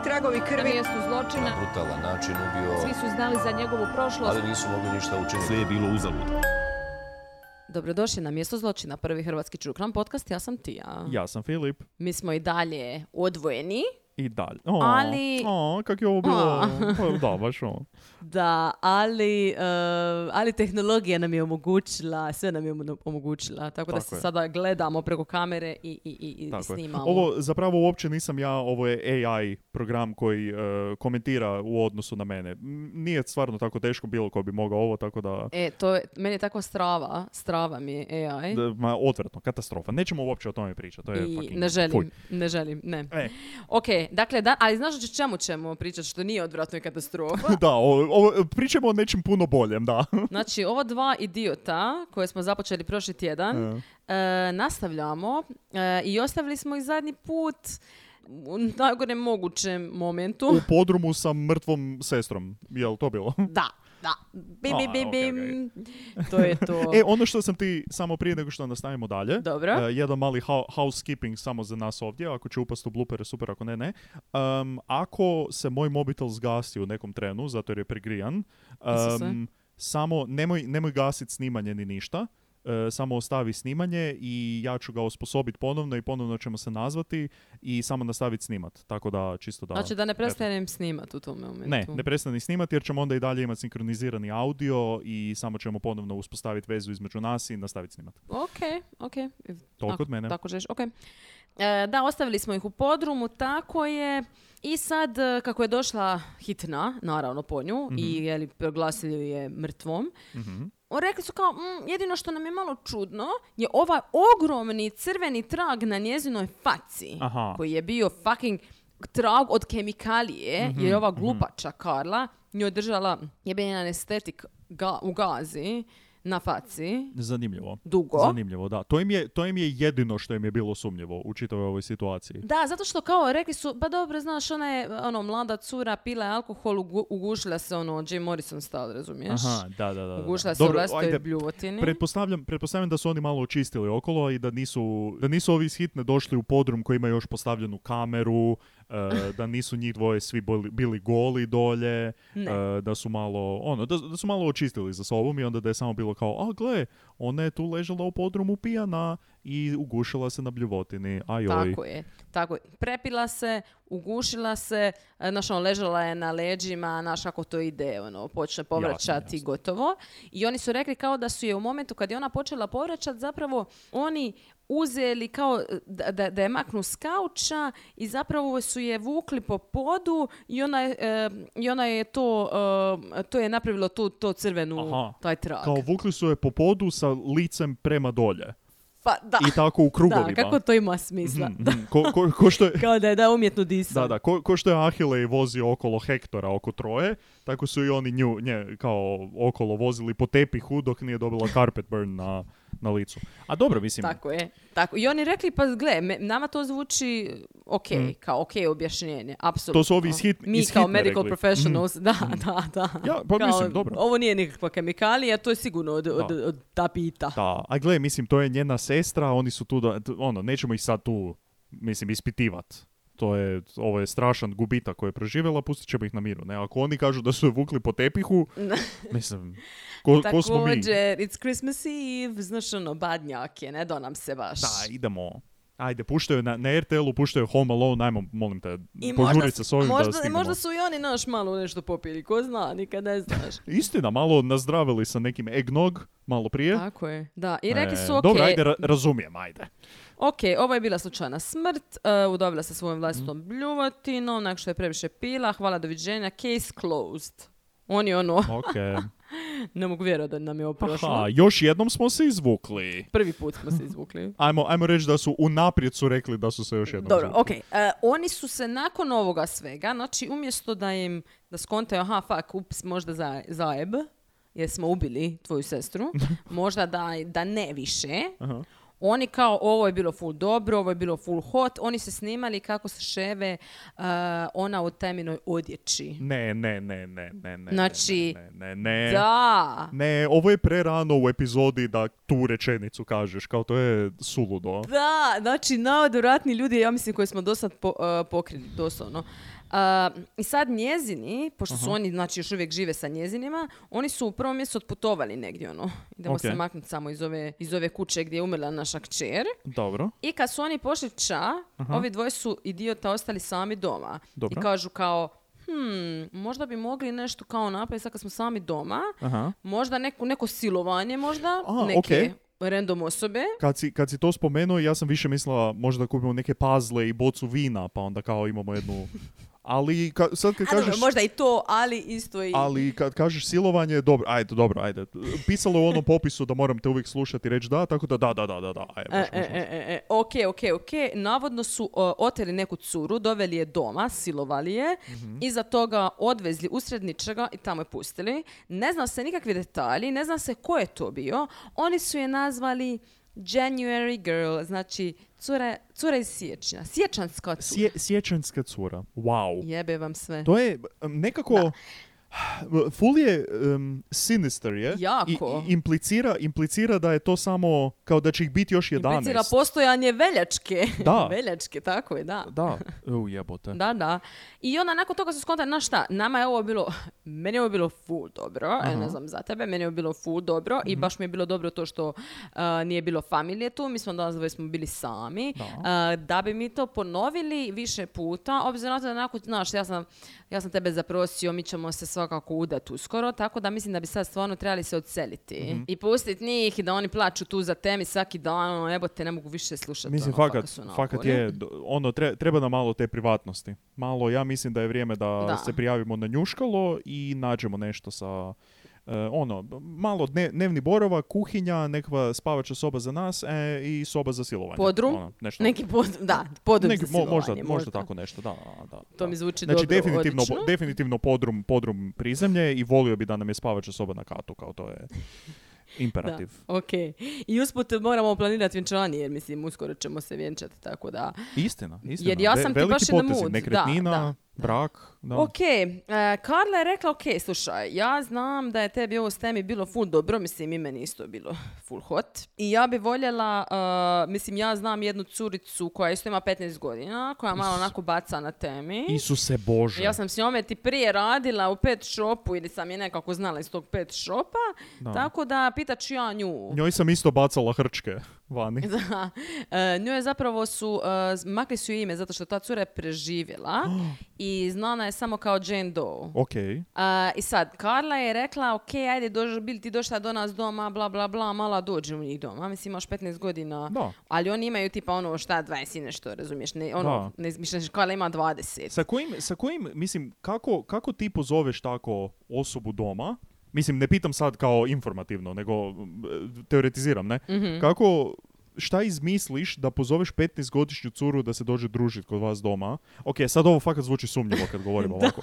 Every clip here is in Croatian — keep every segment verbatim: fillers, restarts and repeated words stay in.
tragovi krvi. Na mjestu zločina. Na brutalan način ubio. Svi su znali za njegovu prošlost. Ali nisu mogli ništa učiniti. Sve je bilo uzalud. Dobrodošli na Mjesto zločina, prvi hrvatski true crime podcast. Ja sam Tija. Ja sam Filip. Mi smo i dalje odvojeni. I dalje. O, Ali... O, kak je ovo bilo? Pa, da, baš ovo. Da, ali, uh, ali tehnologija nam je omogućila, sve nam je omogućila. Tako, tako da se je. Sada gledamo preko kamere i, i, i, i snimamo. Je. Ovo zapravo uopće nisam ja, ovo je A I program koji uh, komentira u odnosu na mene. Nije stvarno tako teško bilo ko bi mogao ovo, tako da... E, to je, meni je takva strava, strava mi je A I. Da, ma, odvratno, katastrofa. Nećemo uopće o tome pričati. To je I fucking... ne želim, Fuj. ne želim, ne. E. Ok, dakle, da, ali znaš o čemu ćemo pričati što nije odvratno i katastrofa? Da, ovo, ovo, pričamo o nečem puno boljem, da. Znači, ovo dva idiota koje smo započeli prošli tjedan, e. E, nastavljamo e, i ostavili smo ih zadnji put u najgorem mogućem momentu. U podrumu sa mrtvom sestrom. Je li to bilo? Da. Da, bim, bim, bim, bim. Okay, okay. To je to. E, ono što sam ti, samo prije nego što nastavimo dalje, dobro. Uh, jedan mali ha- housekeeping samo za nas ovdje, ako će upast u bloopere, super, ako ne, ne. Um, ako se moj mobitel zgasi u nekom trenu, zato jer je pregrijan, um, samo nemoj, nemoj gasiti snimanje ni ništa. Uh, samo ostavi snimanje i ja ću ga osposobiti ponovno i ponovno ćemo se nazvati i samo nastaviti snimat. Tako da čisto da... Znači da ne prestanem snimat u tom momentu. Ne, ne prestani snimati jer ćemo onda i dalje imati sinkronizirani audio i samo ćemo ponovno uspostaviti vezu između nas i nastaviti snimat. Ok, ok. Toliko od mene. Tako žeš, ok. E, da, ostavili smo ih u podrumu, tako je. I sad, kako je došla hitna, naravno po nju, mm-hmm. i jeli, proglasili je mrtvom, mm-hmm. rekli su kao, mm, jedino što nam je malo čudno je ovaj ogromni crveni trag na njezinoj faci, Aha. koji je bio fucking trag od kemikalije, mm-hmm. jer je ova glupača mm-hmm. Karla njoj držala jebeni anestetik ga, u gazi na faci. Zanimljivo. Dugo. Zanimljivo, da. To im je, to im je jedino što im je bilo sumnjivo u čitavoj ovoj situaciji. Da, zato što kao rekli su, ba dobro, znaš, ona je ono, mlada cura, pila je alkohol, ugu, ugušila se ono, Jim Morrison style, razumiješ? Aha, da, da, da. Ugušila se u vlastitoj bljuvotini. Pretpostavljam, pretpostavljam da su oni malo očistili okolo i da nisu, da nisu ovi iz hitne došli u podrum koji ima još postavljenu kameru, Uh, da nisu njih dvoje svi boli, bili goli dolje, uh, da su malo ono, da, da su malo očistili za sobom i onda da je samo bilo kao, a gle, ona je tu ležala u podrumu pijana i ugušila se na bljuvotini. Ajoj. Tako je, tako je. Prepila se, ugušila se, znaš, ono, ležala je na leđima, znaš kako to ide, ono, počne povraćati i gotovo. I oni su rekli kao da su je u momentu kad je ona počela povraćati, zapravo oni uzeli kao da, da, da je maknu s kauča i zapravo su je vukli po podu i ona je, e, i ona je to, e, to je napravilo to, to crvenu, Aha. taj trag. Kao vukli su je po podu sa licem prema dolje. Pa, da. I tako u krugovima. Da, kako to ima smisla. Mm-hmm. Ko, ko, ko što je, kao da je da umjetno disao. Da, da, ko, ko što je Ahilej vozio okolo Hektora oko Troje, tako su i oni nju, nje, kao okolo vozili po tepihu dok nije dobila carpet burn na, na licu. A dobro, mislim... Tako je. Tako. I oni rekli, pa gle, me, nama to zvuči ok, mm. kao ok objašnjenje, apsolutno. To su ovi iz, hit, Mi iz kao hitne medical rekli. professionals, mm. da, da, da. Ja, pa kao, mislim, dobro. Ovo nije nikakva kemikalija, to je sigurno od, od, od tapita. Da, a gle, mislim, to je njena sestra, oni su tu, da, ono, nećemo ih sad tu, mislim, ispitivati. To je, ovo je strašan gubitak koji je proživjela, pustit ćemo ih na miru. Ne? Ako oni kažu da su je vukli po tepihu, mislim, ko, ko smo mi? Također, it's Christmas Eve, znaš ono, badnjak je, ne do nam se baš. Da, idemo. Ajde, puštaju na, na er te el-u, puštaju Home Alone, ajmo, molim te, I požurit se s ovim možda, da stignemo. Možda su i oni naš malo nešto popili, ko zna, nikad ne znaš. Istina, malo nazdravili sa nekim eggnog, malo prije. Tako je, da. I rekli su, e, ok. Dobro, ajde, ra- razumijem, ajde. Ok, ovo je bila slučajna smrt, uh, udobila se svojom vlastitom mm. bljuvotinom, nakon što je previše pila, hvala, doviđenja, case closed. Oni ono... Ok. Ne mogu vjerovati da nam je ovo prošlo. Aha, još jednom smo se izvukli. Prvi put smo se izvukli. ajmo, ajmo reći da su unaprijed su rekli da su se još jednom Dobro, izvukli. ok. Uh, oni su se nakon ovoga svega, znači umjesto da im, da skontaju, aha, fuck, ups, možda za, zajeb, jer smo ubili tvoju sestru, možda da, da ne više, Aha. Oni kao, ovo je bilo full dobro, ovo je bilo full hot, oni se snimali kako se ševe uh, ona u teminoj odjeći. Ne, ne, ne, ne, ne, ne. Znači, ne, ne, ne. Da. Ne, ovo je prerano u epizodi da tu rečenicu kažeš, kao to je suludo. Da, znači, najodvratniji ljudi, ja mislim, koji smo do sad po, uh, pokrili, doslovno. Uh, I sad njezini, pošto su Aha. oni znači, još uvijek žive sa njezinima, oni su u prvom mjestu otputovali negdje, ono. Idemo Ok. se maknuti samo iz ove, iz ove kuće gdje je umrla naša kćer. Dobro. I kad su oni pošli ča, Aha. ovi dvoje su idiota ostali sami doma. Dobro. I kažu kao, hmm, možda bi mogli nešto kao napraviti sad kad smo sami doma. Aha. Možda neko, neko silovanje možda, A, neke okej. random osobe. Kad si, kad si to spomenuo, ja sam više mislila možda kupimo neke puzzle i bocu vina, pa onda kao imamo jednu... Ali ka, sad kad A dobro, kažeš... možda i to, ali isto i... Ali kad kažeš silovanje, dobro, ajde, dobro, ajde. Pisalo je u onom popisu da moram te uvijek slušati i reći da, tako da da, da, da, da, da. Ajde, E, može, e, može, može. e, e, ok, ok, ok. Navodno su uh, oteli neku curu, doveli je doma, silovali je, Mhm. iza toga odvezli usred ničega i tamo je pustili. Ne zna se nikakvi detalji, ne zna se ko je to bio. Oni su je nazvali January Girl, znači cura, cura iz siječnja. Siječanska cura. Sje, sječanska cura. Wow. Jebe vam sve. To je um, nekako... Full je um, sinister, je? Jako. I, i implicira, implicira da je to samo kao da će ih biti još jedanaest. Implicira postojanje veljačke. Da. Veljačke, tako je, da. Da, u jebote. Da, da. I onda nakon toga su skontali, znaš šta, nama je ovo bilo, meni je ovo bilo full dobro, e, ne znam za tebe, meni je ovo bilo full dobro i baš mi je bilo dobro to što uh, nije bilo familije tu, mi smo danas dvoje smo bili sami, Da. uh, da bi mi to ponovili više puta, obzirom na to da nakon, znaš, ja sam, ja sam tebe zaprosio, mi ćemo se svakako udati uskoro, tako da mislim da bi sad stvarno trebali se odseliti i pustiti njih i da oni plaću tu za temi svaki dan, ono, jebote, ne mogu više slušati. Mislim, ono, fakat, kako su fakat napori. je, d- ono, tre- treba nam malo te privatnosti. Malo, ja mislim da je vrijeme da, Da. se prijavimo na njuškalo i nađemo nešto sa, e, ono, malo dne- dnevni boravak, kuhinja, nekakva spavača soba za nas e, i soba za silovanje. Podrum? Ono, nešto. Neki pod, da, podrum Neki- za mo- možda, silovanje, možda tako nešto, da. da To da. mi zvuči Znači, dobro, definitivno, odlično. definitivno podrum, podrum prizemlje i volio bi da nam je spavača soba na katu, kao to je imperativ. Da, ok. I usput moramo planirati vjenčanje, jer mislim, uskoro ćemo se vjenčati, tako da... Istina, istina. Jer ja Ve- sam ti veliki baš in the potezi, mood. nekretnina, Da, da. brak, da. Ok, uh, Karla je rekla, ok, slušaj, ja znam da je tebi ovo s temi bilo full dobro, mislim i meni isto bilo full hot. I ja bi voljela, uh, mislim ja znam jednu curicu koja isto ima petnaest godina, koja malo onako baca na temi. Isuse Bože. Ja sam s njome ti prije radila u pet shopu ili sam je nekako znala iz tog pet shopa, Da. tako da pitat ću ja nju. Njoj sam isto bacala hrčke vani. Da. E, njoj zapravo su, uh, makli su ime zato što ta cura je preživjela i znana je samo kao Jane Doe. Ok. Uh, I sad, Karla je rekla, ok, ajde, dož, bili ti došla do nas doma, bla, bla, bla, mala dođi u njih doma. Mislim, imaš petnaest godina, Da. ali oni imaju tipa ono šta, dvadeset i nešto, razumiješ? Ne, ono, Da. ne izmišljaš, Karla ima dvadeset. Sa kojim, sa kojim, mislim, kako, kako ti pozoveš tako osobu doma? Mislim, ne pitam sad kao informativno, nego e, teoretiziram, ne? Mhm. Kako, šta izmisliš da pozoveš petnaestogodišnju curu da se dođe družiti kod vas doma? Ok, sad ovo fakat zvuči sumnjivo kad govorim ovako.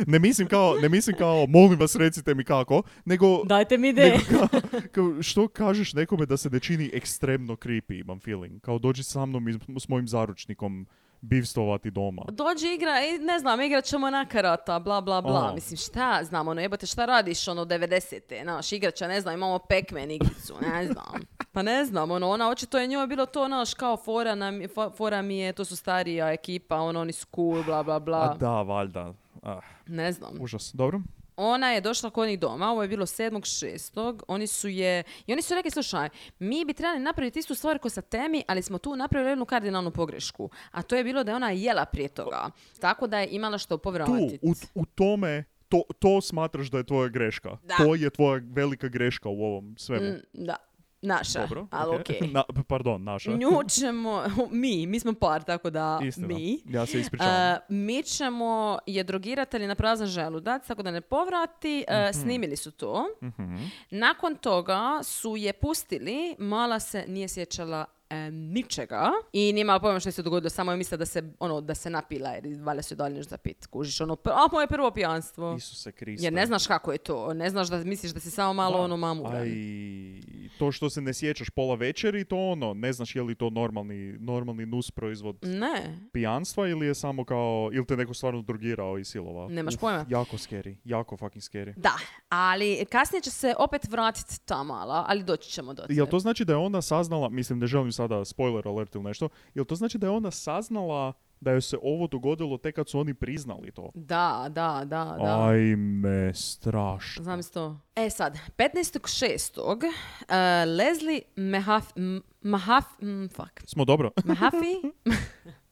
ne, mislim kao, ne mislim kao, molim vas recite mi kako, nego... Dajte mi ideje. nego kao, kao, što kažeš nekome da se ne čini ekstremno creepy, imam feeling. Kao dođi sa mnom i s mojim zaručnikom bivstovati doma. Dođi igra, i ne znam, igrat ćemo na karata, bla, bla, bla. O. Mislim, šta znam, ono, jebote, šta radiš, ono, devedesete, znaš, igrača, ne znam, imamo Pac-Man igricu, ne znam. Pa ne znam, ono, ona, očito je njoj bilo to, znaš, kao fora, nam, fo- fora mi je, to su starija ekipa, ono, oni su cool, bla, bla, bla. A da, valjda. Ah, Ne znam. užas. Dobro? Ona je došla kod njih doma, ovo je bilo sedmog šestog Oni su je, i oni su rekli, slušaj, mi bi trebali napraviti istu stvar ko sa temi, ali smo tu napravili jednu kardinalnu pogrešku. A to je bilo da je ona jela prije toga. Tako da je imala što Tu, povratiti. u, u tome, to, to smatraš da je tvoja greška. Da. To je tvoja velika greška u ovom svemu. Mm, da, naša, Dobro, ali okej. okej. Na, pardon, naša. Nju ćemo, mi, mi smo par, tako da Istina. mi. Ja se ispričavam. Uh, mi ćemo je drogirati ali na prazan želudac, tako da ne povrati. Uh, snimili su to. Mhm. Nakon toga su je pustili, mala se nije sjećala e, ničega i nije imala pojma što se dogodilo, samo je mislila da se, ono, da se napila jer valjda se dalje nešto za pit, kužiš, ono, pr- a moje prvo pijanstvo. Isuse Kriste. Jer ne znaš kako je to, ne znaš da misliš da si samo malo Da. ono mamuran. A i to što se ne sjećaš pola večeri, to ono, ne znaš je li to normalni, normalni nus proizvod Ne, pijanstva ili je samo kao, ili te neko stvarno drogirao i silovao. Nemaš Uf, pojma. Jako scary, jako fucking scary. da, ali kasnije će se opet vratiti ta mala, ali doći ćemo do Jel to znači da je ona saznala, mislim ne želim sada spoiler alert ili nešto, jel to znači da je ona saznala da joj se ovo dogodilo tek kad su oni priznali to? Da, da, da, da. Ajme, strašno. Znam se to. E sad, petnaestog šestog Uh, Leslie Mahaf... M- Mahaf... m, fuck. Smo dobro. Mahaffey?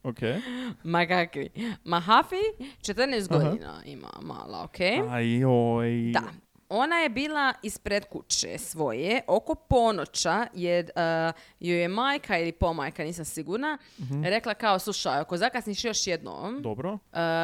Ok. Magaki. Mahaffey, četrnaest Aha. godina ima mala, ok? Ajoj. Da. Ona je bila ispred kuće svoje oko ponoća jer uh, joj je majka ili pomajka, nisam sigurna, rekla kao, slušaj, ako zakasniš još jednom, Dobro. uh,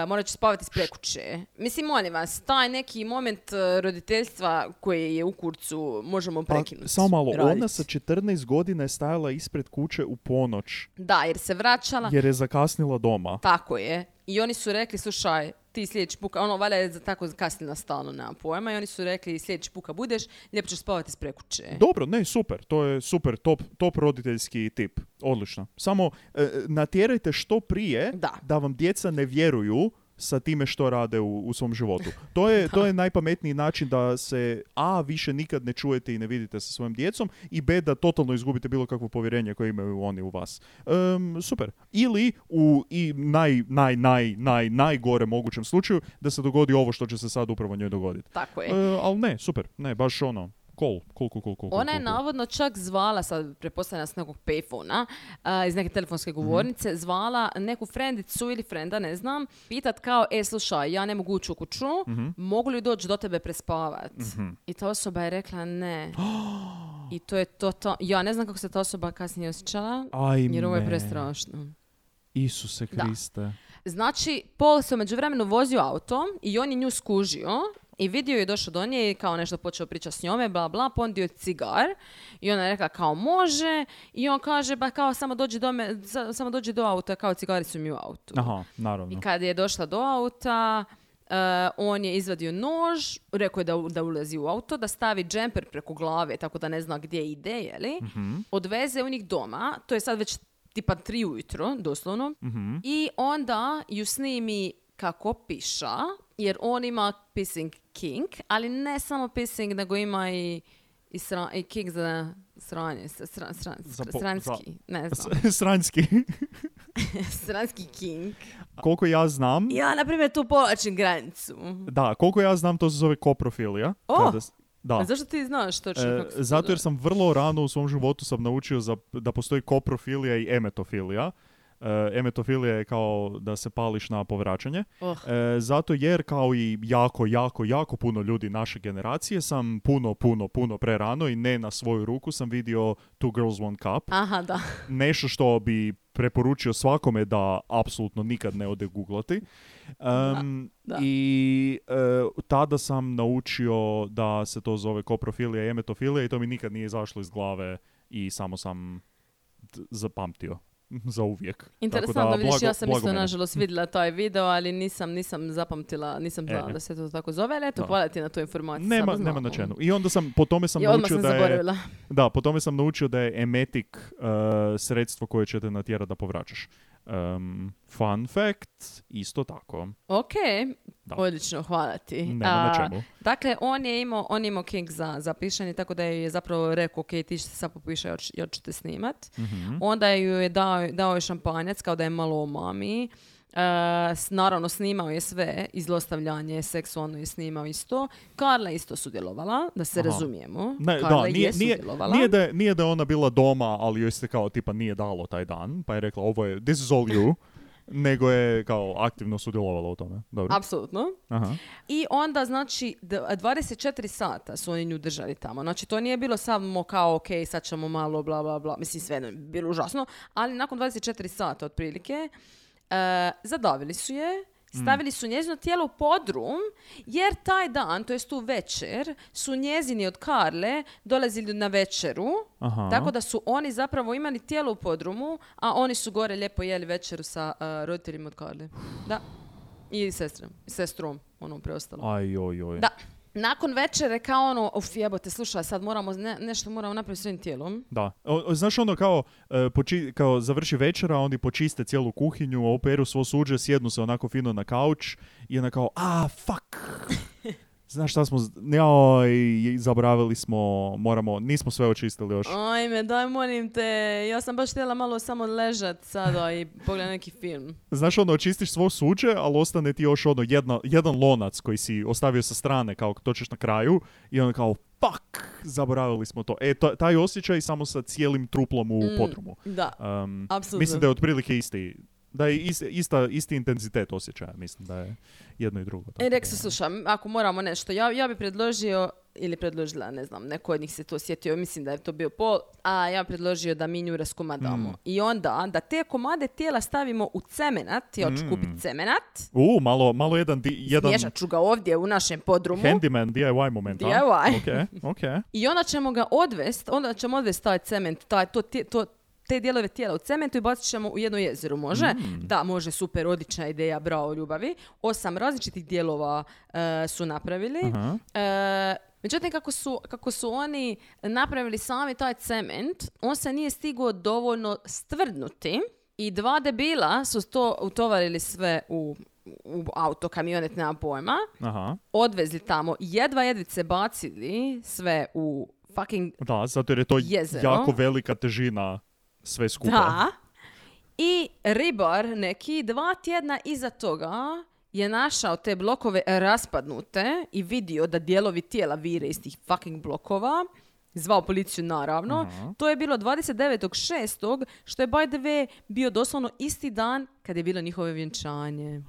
morat ću spavati ispred kuće. Mislim, molim vas, taj neki moment uh, roditeljstva koji je u kurcu možemo Pa, prekinuti. samo malo, radit. ona sa četrnaest godina je stajala ispred kuće u ponoć Da, jer se vraćala. jer je zakasnila doma. Tako je. I oni su rekli, slušaj, ti sljedeći puka, ono, valjda je za- tako kasnila stalno, nemam pojma, i oni su rekli, sljedeći puka budeš, lijepo ćeš spavati ispred kuće. Dobro, ne, super. To je super, top, top roditeljski tip. Odlično. Samo e, natjerajte što prije Da. vam djeca ne vjeruju sa time što rade u, u svom životu. To je, to je najpametniji način da se a, više nikad ne čujete i ne vidite sa svojim djecom i b, da totalno izgubite bilo kakvo povjerenje koje imaju oni u vas. Em, super. Ili u i naj, naj, naj, naj, najgore mogućem slučaju da se dogodi ovo što će se sad upravo njoj dogoditi. Tako je. E, ali ne, super. Ne, baš ono, cool, cool, cool, cool, cool. Ona je cool, cool. navodno čak zvala, sad pretpostavljam s nekog payphona, uh, iz neke telefonske govornice, zvala neku frendicu ili frenda, ne znam, pitat kao, e, slušaj, ja ne mogu ući u kuću, mogu li doći do tebe prespavat? I ta osoba je rekla ne. I to je to, to. Ja ne znam kako se ta osoba kasnije osjećala, Ajme. jer ovo je prestrašno. Isuse Da. Kriste. Znači, Paul se u međuvremenu vozio autom i on je nju skužio i vidio je došao do nje i kao nešto počeo pričati s njome, bla bla, pondio je cigar i ona je rekla kao može i on kaže ba kao samo dođi do, me, sa- samo dođi do auta, kao cigari su mi u autu. Aha, naravno. I kad je došla do auta, uh, on je izvadio nož, rekao je da, da ulazi u auto, da stavi džemper preko glave tako da ne zna gdje ide, jeli? Odveze u njih doma, to je sad već tipa tri ujutro, doslovno, i onda ju snimi kako piša, jer on ima pissing kink, ali ne samo pissing, nego ima i, i, sra, i kink za sranje, sra, sra, Za po- sranski, ne znam, Sranjski. sranski kink. Koliko ja znam, Ja, na primjer, tu povlačim granicu. da, koliko ja znam, to se zove koprofilija. O! Kada s- da. A zašto ti znaš točno E, kako se to zato jer zove? sam vrlo rano u svom životu sam naučio za, da postoji koprofilija i emetofilija. E, emetofilija je kao da se pališ na povraćanje. Oh. E, zato jer kao i jako, jako, jako puno ljudi naše generacije sam puno, puno, puno prerano i ne na svoju ruku sam vidio Two Girls One Cup. Aha, da. Nešto što bi preporučio svakome da apsolutno nikad ne ode googlati. Um, Da, da. I e, tada sam naučio da se to zove koprofilija i emetofilija i to mi nikad nije izašlo iz glave i samo sam d- zapamtio za uvijek. Interesantno, Tako da, vidiš, blago- ja sam blago isto mene. nažalost vidjela taj video, ali nisam, nisam zapamtila, nisam znala E. da se to tako zove, ali eto, Da. hvala ti na tu informaciju. Nema, sada nema znamo. na čemu. I onda sam, po tome sam I odmah naučio sam da je... zaboravila. Da, po tome sam naučio da je emetik uh, sredstvo koje će te natjerati da povraćaš. Um, fun fact, isto tako. Ok, Da. odlično, hvala ti. Nema na čemu. Dakle, on je imao, on je imao kink za, za pišanje, tako da je zapravo rekao, ok, ti se sad popišaj, ja ću te snimat. Mhm. Onda ju je dao, dao je šampanjac, kao da je malo o mami. Uh, s- naravno, snimao je sve, i zlostavljanje, seksualno je snimao isto. Karla je isto sudjelovala, da se Aha. razumijemo. Ne, Karla da, nije, je nije, sudjelovala. nije, da je, nije da je ona bila doma, ali joj se kao tipa nije dalo taj dan, pa je rekla ovo je, this is all you, nego je kao aktivno sudjelovala u tome. Dobro. Apsolutno. Aha. I onda, znači, d- dvadeset četiri sata su oni nju držali tamo. Znači, to nije bilo samo kao, ok, sad ćemo malo, bla, bla, bla. Mislim, sve je bilo užasno. Ali nakon dvadeset četiri sata, otprilike, uh, zadavili su je, stavili su njezino tijelo u podrum, jer taj dan, to jest tu večer, su njezini od Karle dolazili na večeru, Aha. tako da su oni zapravo imali tijelo u podrumu, a oni su gore lijepo jeli večeru sa uh, roditeljima od Karle. Da. I sestrom, sestrom, ono preostalo. Aj, oj, oj. Da. Nakon večere kao ono, uf jebote, slušaj, sad moramo, ne, nešto moramo napraviti s svojim tijelom. Da. O, o, znaš ono kao, e, poči, kao završi večera, oni počiste cijelu kuhinju, operu svo suđe, sjednu se onako fino na kauč i onda kao, a, fuck. Znaš šta smo, joj, zaboravili smo, moramo, nismo sve očistili još. Ajme, daj molim te, ja sam baš htjela malo samo ležat sada i pogledati neki film. Znaš ono, očistiš svo suđe, ali ostane ti još ono jedna, jedan lonac koji si ostavio sa strane, kao to ćeš na kraju i onda kao, fuck, zaboravili smo to. E, to, taj osjećaj samo sa cijelim truplom u Mm, podrumu. Da, Um, apsolutno. mislim da je otprilike isti, da je is, ista, isti intenzitet osjećaja, mislim da je jedno i drugo. E, rek se, slušam, ako moramo nešto, ja, ja bi predložio, ili predložila, ne znam, neko od njih se to sjetio, mislim da je to bio Pol, a ja bi predložio da mi nju raskomadamo. Mm. I onda, da te komade tijela stavimo u cemenat, ja ću Mm. kupiti cemenat, U, malo, malo jedan, di, jedan smješat ću ga ovdje u našem podrumu. handyman D I Y moment, D I Y. Ok, ok. I onda ćemo ga odvest, onda ćemo odvest taj cement, taj, to, ti- to, te dijelove tijela u cementu i bacit ćemo u jedno jezero, može? Mm. Da, može, super, odlična ideja, bravo, ljubavi. Osam različitih dijelova e, su napravili. Aha. E, međutim, kako su, kako su oni napravili sami taj cement, on se nije stigao dovoljno stvrdnuti i dva debila su to utovarili sve u, u auto, kamionet, nema pojma, Aha. odvezli tamo, jedva jedvice bacili sve u fucking Da, zato jer je to jezero. jako velika težina sve skupa. Da. I ribar neki dva tjedna iza toga je našao te blokove raspadnute i vidio da dijelovi tijela vire iz tih fucking blokova. Zvao policiju, naravno. Aha. To je bilo dvadeset devetog šestog što je by the way bio doslovno isti dan kad je bilo njihovo vjenčanje.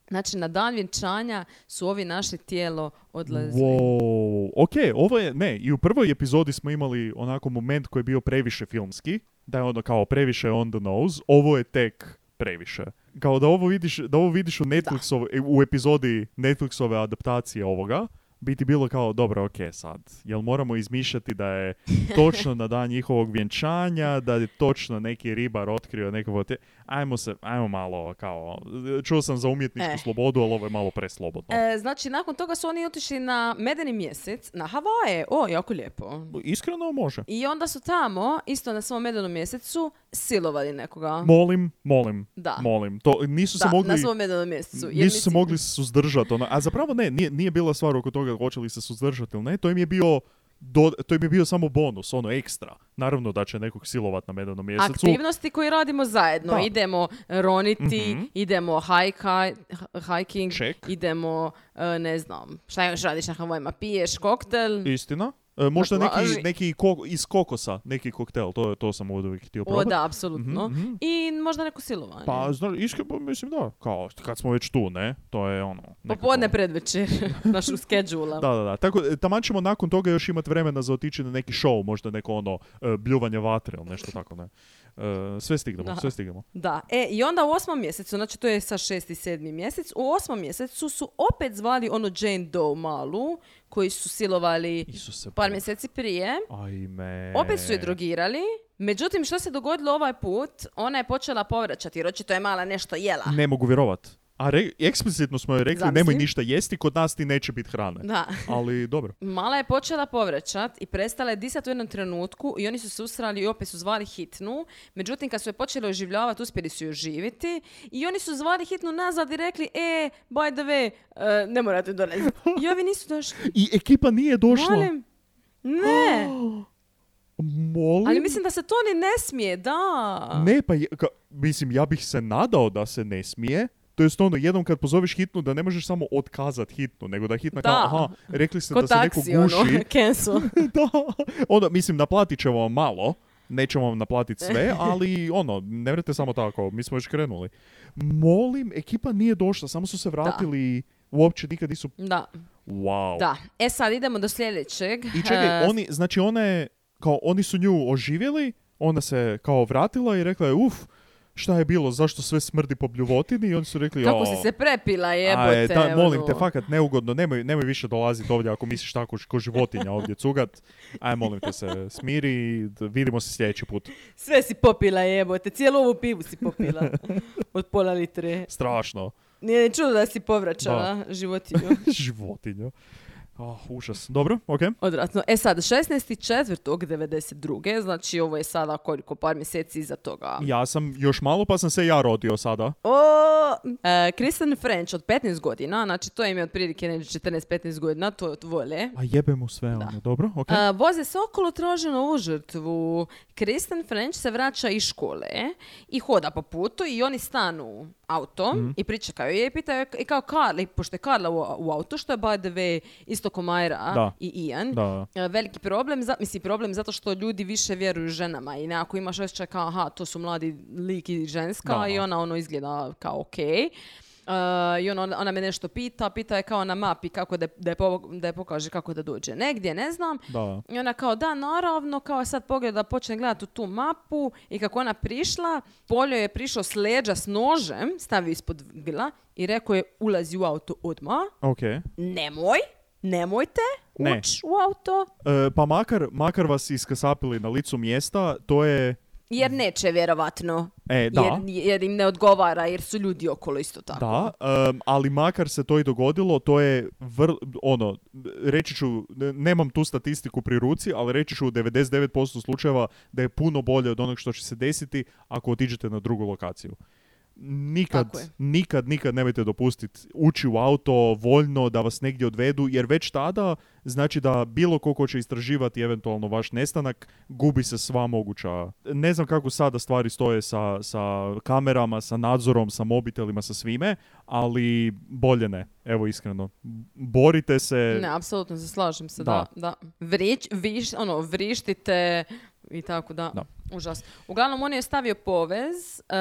Znači, na dan vjenčanja su ovi našli tijelo odlazili. Wow. Ok, ovo je, ne, i u prvoj epizodi smo imali onako moment koji je bio previše filmski, da je ono kao previše on the nose, ovo je tek previše. Kao da ovo vidiš, da ovo vidiš u Netflixove, u epizodi Netflixove adaptacije ovoga, biti bilo kao, dobro, ok, sad, jel moramo izmišljati da je točno na dan njihovog vjenčanja, da je točno neki ribar otkrio nekog te... Ajmo se, ajmo malo, kao, čuo sam za umjetničku E. slobodu, ali ovo je malo preslobodno. E, znači, nakon toga su oni otišli na medeni mjesec, na Havaje. O, jako lijepo. Iskreno može. I onda su tamo, isto na svom medenom mjesecu, silovali nekoga. Molim, molim, Da. molim. To, nisu se Da, mogli... na svom medenom mjesecu. Jer Nisu se mislim- mogli suzdržati. Ono. A zapravo ne, nije, nije bila stvar oko toga hoće li se suzdržati ili ne. To im je bio, do, to im je bio samo bonus, ono ekstra. Naravno da će nekog silovat na medenom mjesecu. Aktivnosti koje radimo zajedno. Da. Idemo roniti, Mhm. idemo hajka, hiking, Check. idemo, e, ne znam, šta još radiš na Havajima, piješ koktel. Istina. E, možda Dakle, neki, važi. neki ko- iz kokosa, neki koktel, to, to sam ovdje uvijek htio O, probati. da, apsolutno. Mhm, mhm. I možda neko silovanje. Pa, znaš, iskreno, mislim da, kao, kad smo već tu, ne, to je ono... nekako- Popodne predvečer, našu skedžula. Da, da, da. Tako, e, taman ćemo nakon toga još imati vremena za otići na neki show, možda neko ono, e, bljuvanje vatre ili nešto tako, ne. E, sve stignemo, Da. sve stignemo. Da, e, i onda u osmom mjesecu, znači to je sa šesti, sedmi mjesec, u osmom mjesecu su opet zvali ono Jane Doe malu, koji su silovali Isuse, par Bog. mjeseci prije. Ajme. Opet su je drogirali. Međutim, što se dogodilo ovaj put, ona je počela povraćati, jer očito je mala nešto jela. Ne mogu vjerovat. A re, eksplicitno smo joj rekli, Zamisli. nemoj ništa jesti, kod nas ti neće biti hrane. Da. Ali dobro. Mala je počela povraćat i prestala je disati u jednom trenutku i oni su se usrali i opet su zvali hitnu. Međutim, kad su je počeli oživljavati, uspjeli su ju oživiti i oni su zvali hitnu nazad i rekli, e, by the way, e, ne morate dolaziti. I ovi nisu došli. I ekipa nije došla. Molim. Ne. Molim? Ali mislim da se to ni ne smije, da. Ne, pa je, ka, mislim, ja bih se nadao da se ne smije. To jest ono, jednom kad pozoveš hitnu, da ne možeš samo otkazat hitnu, nego da hitna Da. kao, aha, rekli ste Ko da se neko taksi, guši. ono, cancel. Da, onda, mislim, naplatit ćemo vam malo, nećemo vam naplatiti sve, ali ono, ne vrete samo tako, mi smo već krenuli. Molim, ekipa nije došla, samo su se vratili, uopće nikad nisu... Da, Wow. da. E sad idemo do sljedećeg. I čekaj, E, oni, znači ona je, kao, oni su nju oživjeli, ona se kao vratila i rekla je, uf, šta je bilo, zašto sve smrdi po bljuvotini i oni su rekli, Kako o, si se prepila, jebote. aj, da, molim ono. te, fakat neugodno, nemoj, nemoj više dolaziti ovdje ako misliš tako ko životinja ovdje cugat. Aj, molim te se, smiri i vidimo se sljedeći put. Sve si popila, jebote. Cijelu ovu pivu si popila. Od pola litre. Strašno. Nije ni čudo da si povraćala životinju. Životinja. Oh, užas. Dobro, okej. Okay. Odvratno. E sad, šesnaesti četvrtog devedeset druge znači ovo je sada koliko, par mjeseci iza toga. Ja sam još malo pa sam se ja rodio sada. O, e, Kristen French od petnaest godina, znači to im je otprilike neđe četrnaest petnaest godina, to vole. A jebe mu sve ono, dobro, okej. Okay. E, voze se okolo, traže novu žrtvu. Kristen French se vraća iz škole i hoda po putu i oni stanu auto mm. i pričekaju je i pitaju i kao Karla, pošto je Karla u, u auto, što je by the way isto ko Majra da. i Ian. Da. Veliki problem, za, misli problem zato što ljudi više vjeruju ženama i nekako imaš osjećaj kao aha, to su mladi lik i ženska da. I ona ono izgleda kao okej. Okay. Uh, I ona, ona me nešto pita, pita je kao na mapi kako da, da, je, po, da je pokaže kako da dođe negdje, ne znam. Da. I ona kao da, naravno, kao sad pogleda, počne gledati u tu mapu i kako ona prišla, Poljo je prišao s leđa s nožem, stavio ispod vila i rekao je ulazi u auto odmah. Okay. Nemoj, nemojte ne. ući u auto. E, pa makar, makar vas iskasapili na licu mjesta, to je... Jer neće, vjerovatno. E, da. Jer, jer im ne odgovara, jer su ljudi okolo isto tako. Da, um, ali makar se to i dogodilo, to je, vr, ono, reći ću, nemam tu statistiku pri ruci, ali reći ću u devedeset devet posto slučajeva da je puno bolje od onog što će se desiti ako otiđete na drugu lokaciju. Nikad, nikad, nikad nemojte dopustiti ući u auto voljno da vas negdje odvedu, jer već tada znači da bilo ko ko će istraživati eventualno vaš nestanak, gubi se sva moguća. Ne znam kako sada stvari stoje sa, sa kamerama, sa nadzorom, sa mobitelima, sa svime, ali bolje ne. Evo iskreno. Borite se. Ne, apsolutno se slažem se, da. da, da. Vrić, viš, ono, vrištite i tako da. da. Užas. Uglavnom, on je stavio povez uh,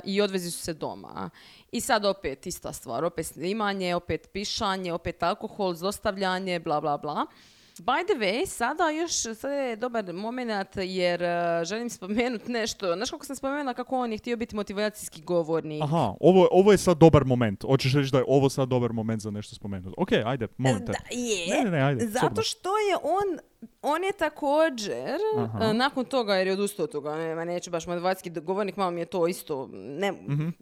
i odvezi su se doma. I sad opet ista stvar, opet snimanje, opet pišanje, opet alkohol, zlostavljanje, bla, bla, bla. By the way, sada još sada je dobar moment jer uh, želim spomenuti nešto. Znaš kako sam spomenula kako on je htio biti motivacijski govornik? Aha, ovo, ovo je sad dobar moment. Hoćeš reći da je ovo sad dobar moment za nešto spomenuti. Ok, ajde, molim te. Da, je. Ne, ne, ne, ajde. Zato sobno. Što je on, on je također, uh, nakon toga jer je odustao od toga, ne, neću baš motivacijski govornik, malo mi je to isto, ne, mm-hmm.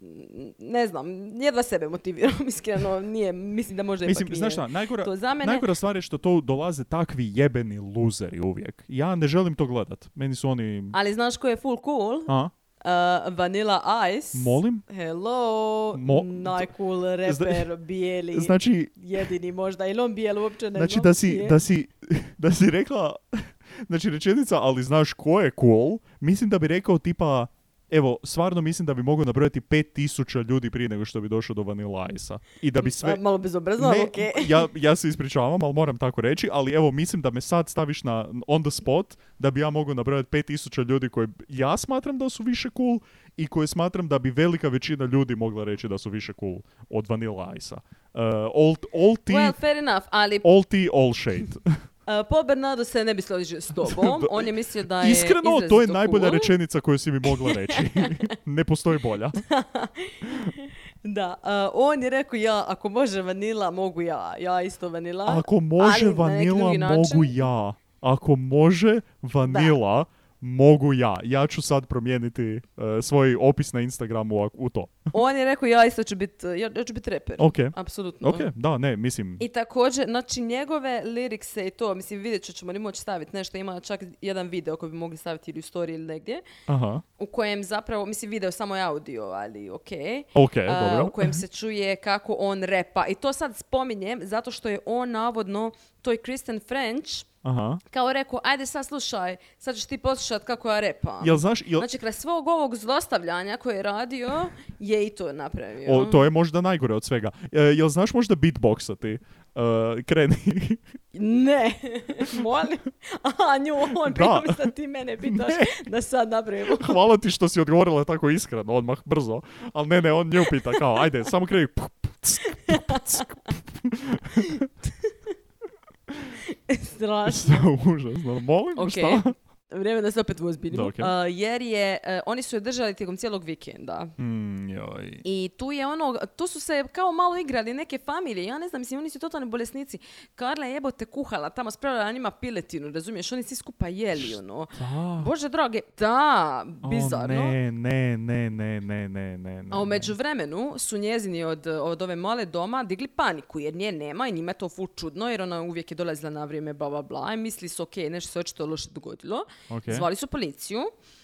ne znam, jedva sebe motiviram, iskreno, nije, mislim da možda mislim, ipak znaš šta, nije najgora, to za mene. Najgora stvar je što to dolaze takvi jebeni luzeri uvijek. Ja ne želim to gledat. Meni su oni... Ali znaš ko je full cool? A? Uh, Vanilla Ice. Molim? Hello, Mo- najcool reper, Zna- bijeli, znači, jedini možda, ili on bijel uopće ne znači znam. Da si, da, si, da si rekla, znači rečenica, ali znaš ko je cool, mislim da bi rekao tipa, evo, stvarno mislim da bi mogao nabrojati pet tisuća ljudi prije nego što bi došao do Vanilla Ice-a. I da bi sve... Malo bezobrazno, ali okej. Okay. ja, ja se ispričavam, ali moram tako reći, ali evo, mislim da me sad staviš na on the spot, da bi ja mogao nabrojati pet tisuća ljudi koji ja smatram da su više cool i koje smatram da bi velika većina ljudi mogla reći da su više cool od Vanilla Ice-a. Uh, all, all tea, well, fair enough, ali... All tea, all shade. Uh, Paul Bernardo se ne bi složio s tobom. On je mislio da je iskreno, to je najbolja cool. rečenica koju si mi mogla reći. Ne postoji bolja. Da, uh, on je rekao ja, ako može vanila, mogu ja. Ja isto vanila. Ako može vanila, mogu ja. Ako može vanila, da. mogu ja. Ja ću sad promijeniti uh, svoj opis na Instagramu u, u to. On je rekao ja isto ću biti ja, ja ću biti reper. Okay. Apsolutno. Ok, da, ne, mislim. I također, znači njegove lirikse i to, mislim vidjet ću, ćemo li moći staviti nešto, ima čak jedan video koji bi mogli staviti ili u story ili negdje. Aha. U kojem zapravo, mislim video samo je audio, ali ok. Ok, uh, dobro. U kojem se čuje kako on repa. I to sad spominjem zato što je on navodno, to je Kristen French, aha. kao rekao, ajde sad slušaj, sad ćeš ti poslušati kako ja repam. Jel znaš, jel... Znači, kraj svog ovog zlostavljanja koje je radio, je i to napravio. O, to je možda najgore od svega. E, jel znaš možda beatboxati? Uh, kreni. Ne, molim. Aha, nju, on prije da ti mene pitaš ne. Da sad napravimo. Hvala ti što si odgovorila tako iskreno, odmah, brzo. Ali ne, ne, on nju pita kao, ajde, samo kreni. Strašno. Užasno. Molim, okay. šta? Vrijeme da se opet uozbiljimo. Da, okay. uh, jer je, uh, oni su je držali tijekom cijelog vikenda. Mm, joj. I tu je ono, tu su se kao malo igrali neke familije. Ja ne znam, mislim, oni su totalni bolesnici. Karla je jebote kuhala, tamo spravila njima piletinu, razumiješ? Oni svi skupa jeli, ono. Da. Bože drage, da, bizarno. O, ne, ne, ne, ne, ne, ne, ne. A u međuvremenu su njezini od, od ove male doma digli paniku, jer nje nema i njima je to ful čudno, jer ona uvijek je dolazila na vrijeme, bla, bla, bla. I misli su, ok, nešto se očito loše dogodilo. Okay. Zvali su policiju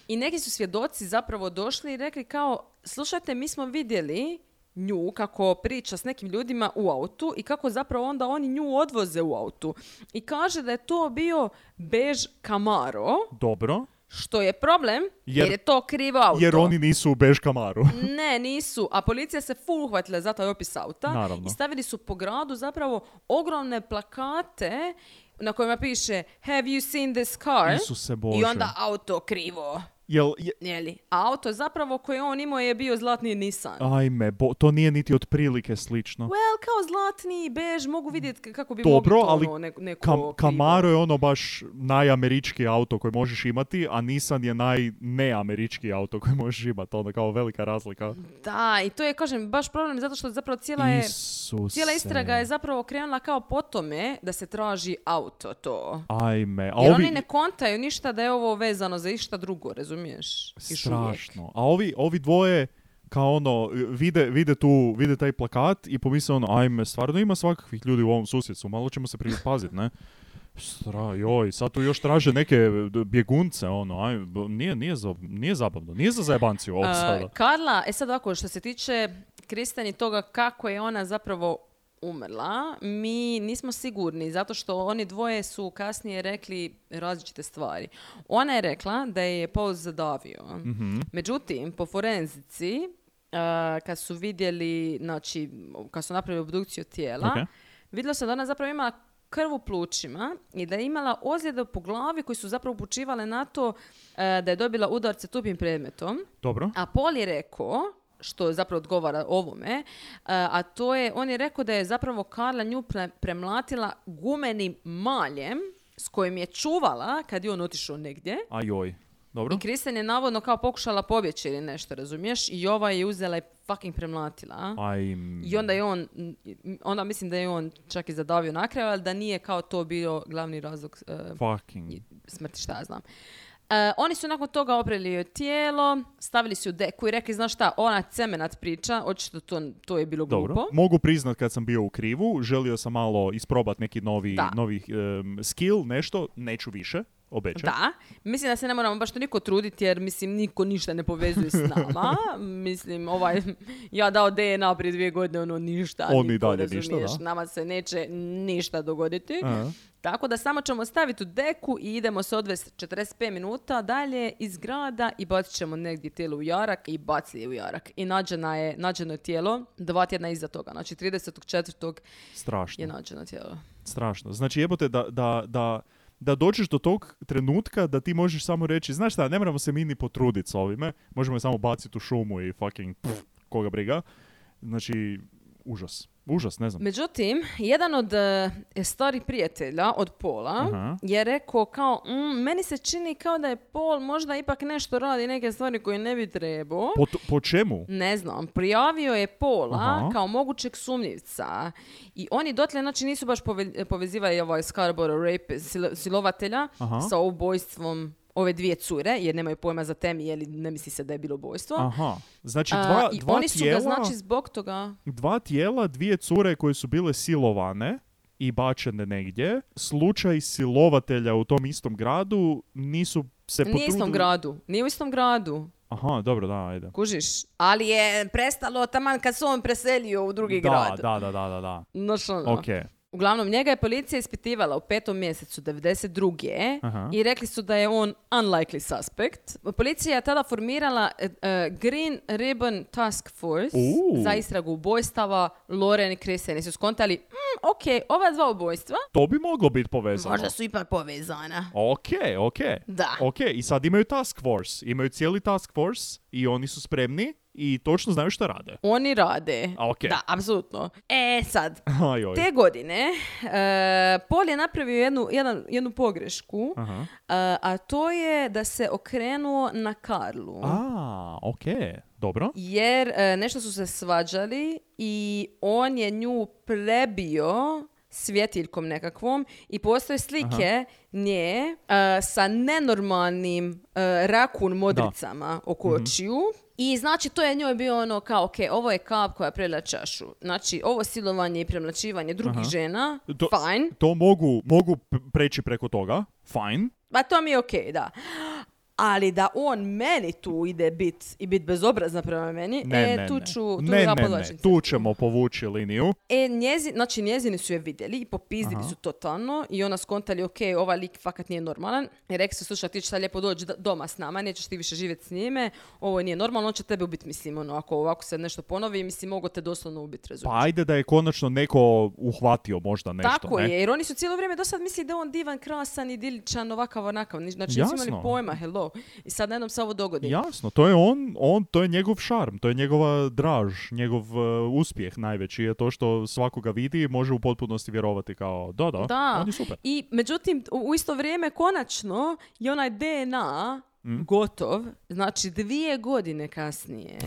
i neki su svjedoci zapravo došli i rekli kao, slušajte, mi smo vidjeli nju kako priča s nekim ljudima u autu i kako zapravo onda oni nju odvoze u autu. I kaže da je to bio bež Camaro. Dobro. Što je problem, jer, jer je to krivo auto. Jer oni nisu u bež Camaru. Ne, nisu. A policija se full uhvatila za taj opis auta. Naravno. I stavili su po gradu zapravo ogromne plakate na kojima piše Have you seen this car? Isuse Bože. I onda auto krivo. Jel, je... Jeli? A auto zapravo koje on imao je bio zlatni Nissan. Ajme, bo, to nije niti otprilike slično. Well, kao zlatni, bež, mogu vidjeti kako bi Dobro, mogli to ali ono, neko, neko Kam, krivo. Camaro je ono baš najamerički auto koji možeš imati, a Nissan je najneamerički auto koji možeš imati. Ono kao velika razlika. Da, i to je, kažem, baš problem zato što zapravo cijela je... Isuse. Cijela istraga je zapravo krenula kao po tome da se traži auto to. Ajme. A Jer ovi... oni ne kontaju ništa da je ovo vezano za išta drugo, razumiješ? Strašno. A ovi, ovi dvoje kao ono, vide, vide tu, vide taj plakat i pomisle ono, ajme, stvarno ima svakakvih ljudi u ovom susjedstvu, malo ćemo se pripaziti, ne? Stra, joj, sad tu još traže neke bjegunce, ono, aj, nije, nije, za, nije zabavno, nije za zajebanciju ovo sada. Uh, Karla, e sad ovako, što se tiče Kristen i toga kako je ona zapravo umrla, mi nismo sigurni, zato što oni dvoje su kasnije rekli različite stvari. Ona je rekla da je Paul zadavio. Mm-hmm. Međutim, po forenzici, uh, kad su vidjeli, znači, kad su napravili obdukciju tijela, Okay. vidjelo se da ona zapravo imala krv u plućima i da je imala ozljede po glavi koji su zapravo upućivale na to uh, da je dobila udarce tupim predmetom. Dobro. A Paul je rekao, što zapravo odgovara ovome, a to je, on je rekao da je zapravo Karla nju pre- premlatila gumenim maljem s kojim je čuvala kad je on otišao negdje. A joj. Dobro. I Kristen je navodno kao pokušala pobjeći ili nešto, razumiješ? I ova je uzela i fucking premlatila. Aj. I onda je on, onda mislim da je on čak i zadavio na kraju, ali da nije kao to bio glavni razlog uh, Fucking. smrti, šta ja znam. Uh, oni su nakon toga oprali joj tijelo, stavili su u deku i rekli, znaš šta, ona cemenat priča, očito to, to je bilo glupo. Dobro. Mogu priznat kad sam bio u krivu, želio sam malo isprobat neki novi, novi um, skill, nešto, neću više, obećam. Da, mislim da se ne moramo baš toliko truditi jer mislim niko ništa ne povezuje s nama. Mislim, ovaj, ja dao D N A prije dvije godine, ono ništa. Oni niko, dalje razumiješ, ništa, da. Nama se neće ništa dogoditi. Aha. Tako da samo ćemo staviti u deku i idemo se odvesti četrdeset pet minuta dalje iz grada i bacit ćemo negdje tijelo u jarak i bacili je u jarak. I nađena je, nađeno je tijelo dva tjedna iza toga. Znači tridesetog četvrtog Strašno. je nađeno tijelo. Strašno. Znači jebote da, da, da, da dođeš do tog trenutka da ti možeš samo reći, znaš šta, ne moramo se mi ni potruditi s ovime, možemo je samo baciti u šumu i fucking pff, koga briga. Znači, užas. Užas, ne znam. Međutim, jedan od uh, starih prijatelja od Paula Aha. je rekao kao, mm, meni se čini kao da je Paul možda ipak nešto radi, neke stvari koje ne bi trebao. Po, po čemu? Ne znam, prijavio je Paula Aha. kao mogućeg sumnjivca i oni dotle znači nisu baš pove, povezivali ovaj Scarborough rape sil, silovatelja Aha. sa ubojstvom ove dvije cure, jer nemaju pojma za temi, jer ne misli se da je bilo ubojstvo. Aha. Znači dva, A, i dva oni su tijela, ga znači zbog toga... dva tijela, dvije cure koje su bile silovane i bačene negdje. Slučaj silovatelja u tom istom gradu nisu se potrudili... Nije u istom gradu. Nije u istom gradu. Aha, dobro, da, ajde. Kužiš? Ali je prestalo taman kad se on preselio u drugi da, grad. Da, da, da, da, da. Znaš ono. Ok. Uglavnom, njega je policija ispitivala u petom mjesecu devedeset druge. Aha. I rekli su da je on unlikely suspect. Policija je tada formirala uh, Green Ribbon Task Force Uh. za istragu ubojstava Lauren i Kristen. I su skontali, mm, ok, ova dva ubojstva To bi moglo biti povezano. možda su ipak povezana. Ok, ok. Da. Ok, i sad imaju task force. Imaju cijeli task force i oni su spremni i točno znaju šta rade. Oni rade. A, okay. Da, apsolutno. E, sad, Ajoj. te godine uh, Paul je napravio jednu, jedan, jednu pogrešku, Aha. uh, a to je da se okrenuo na Karlu. A, okej. Okay. Dobro. Jer uh, nešto su se svađali i on je nju prebio svjetiljkom nekakvom i postoje slike Aha. nje uh, sa nenormalnim uh, rakun modricama da. oko mm-hmm. očiju. I znači to je njoj bio ono kao, ok, ovo je kap koja prelila čašu. Znači ovo silovanje i premlaćivanje drugih Aha. žena, to, fine. To mogu, mogu preći preko toga, fine. Pa to mi je ok, da. Ali da on meni tu ide bit i bit bezobrazna prema meni, ne, e, ne, tu ne. ću, tu ne, ja ne, ne, tu ćemo povući liniju. E, njezi, znači njezini su je vidjeli i popizdili Aha. su totalno i ona skontali, ok, ovaj lik fakat nije normalan. I rekli su, slušaj, ti ćeš sad lijepo doći doma s nama, nećeš ti više živjeti s njime, ovo nije normalno, on će tebe ubiti, mislim, ono, ako ovako se nešto ponovi, mislim, mogu te doslovno ubiti, razumiješ. Pa ajde da je konačno neko uhvatio možda nešto, Tako ne? je, jer oni su cijelo vrijeme do sad mislili da je on divan, krasan, idiličan, ovakav, onakav, znači nisu imali pojma, hello. I sad jednom se ovo dogodi. Jasno, to je on, on, to je njegov šarm, to je njegova draž, njegov uh, uspjeh najveći je to što svakoga vidi i može u potpunosti vjerovati kao da, da, da. on je super. I međutim, u, u isto vrijeme konačno je onaj D N A mm. gotov, znači dvije godine kasnije.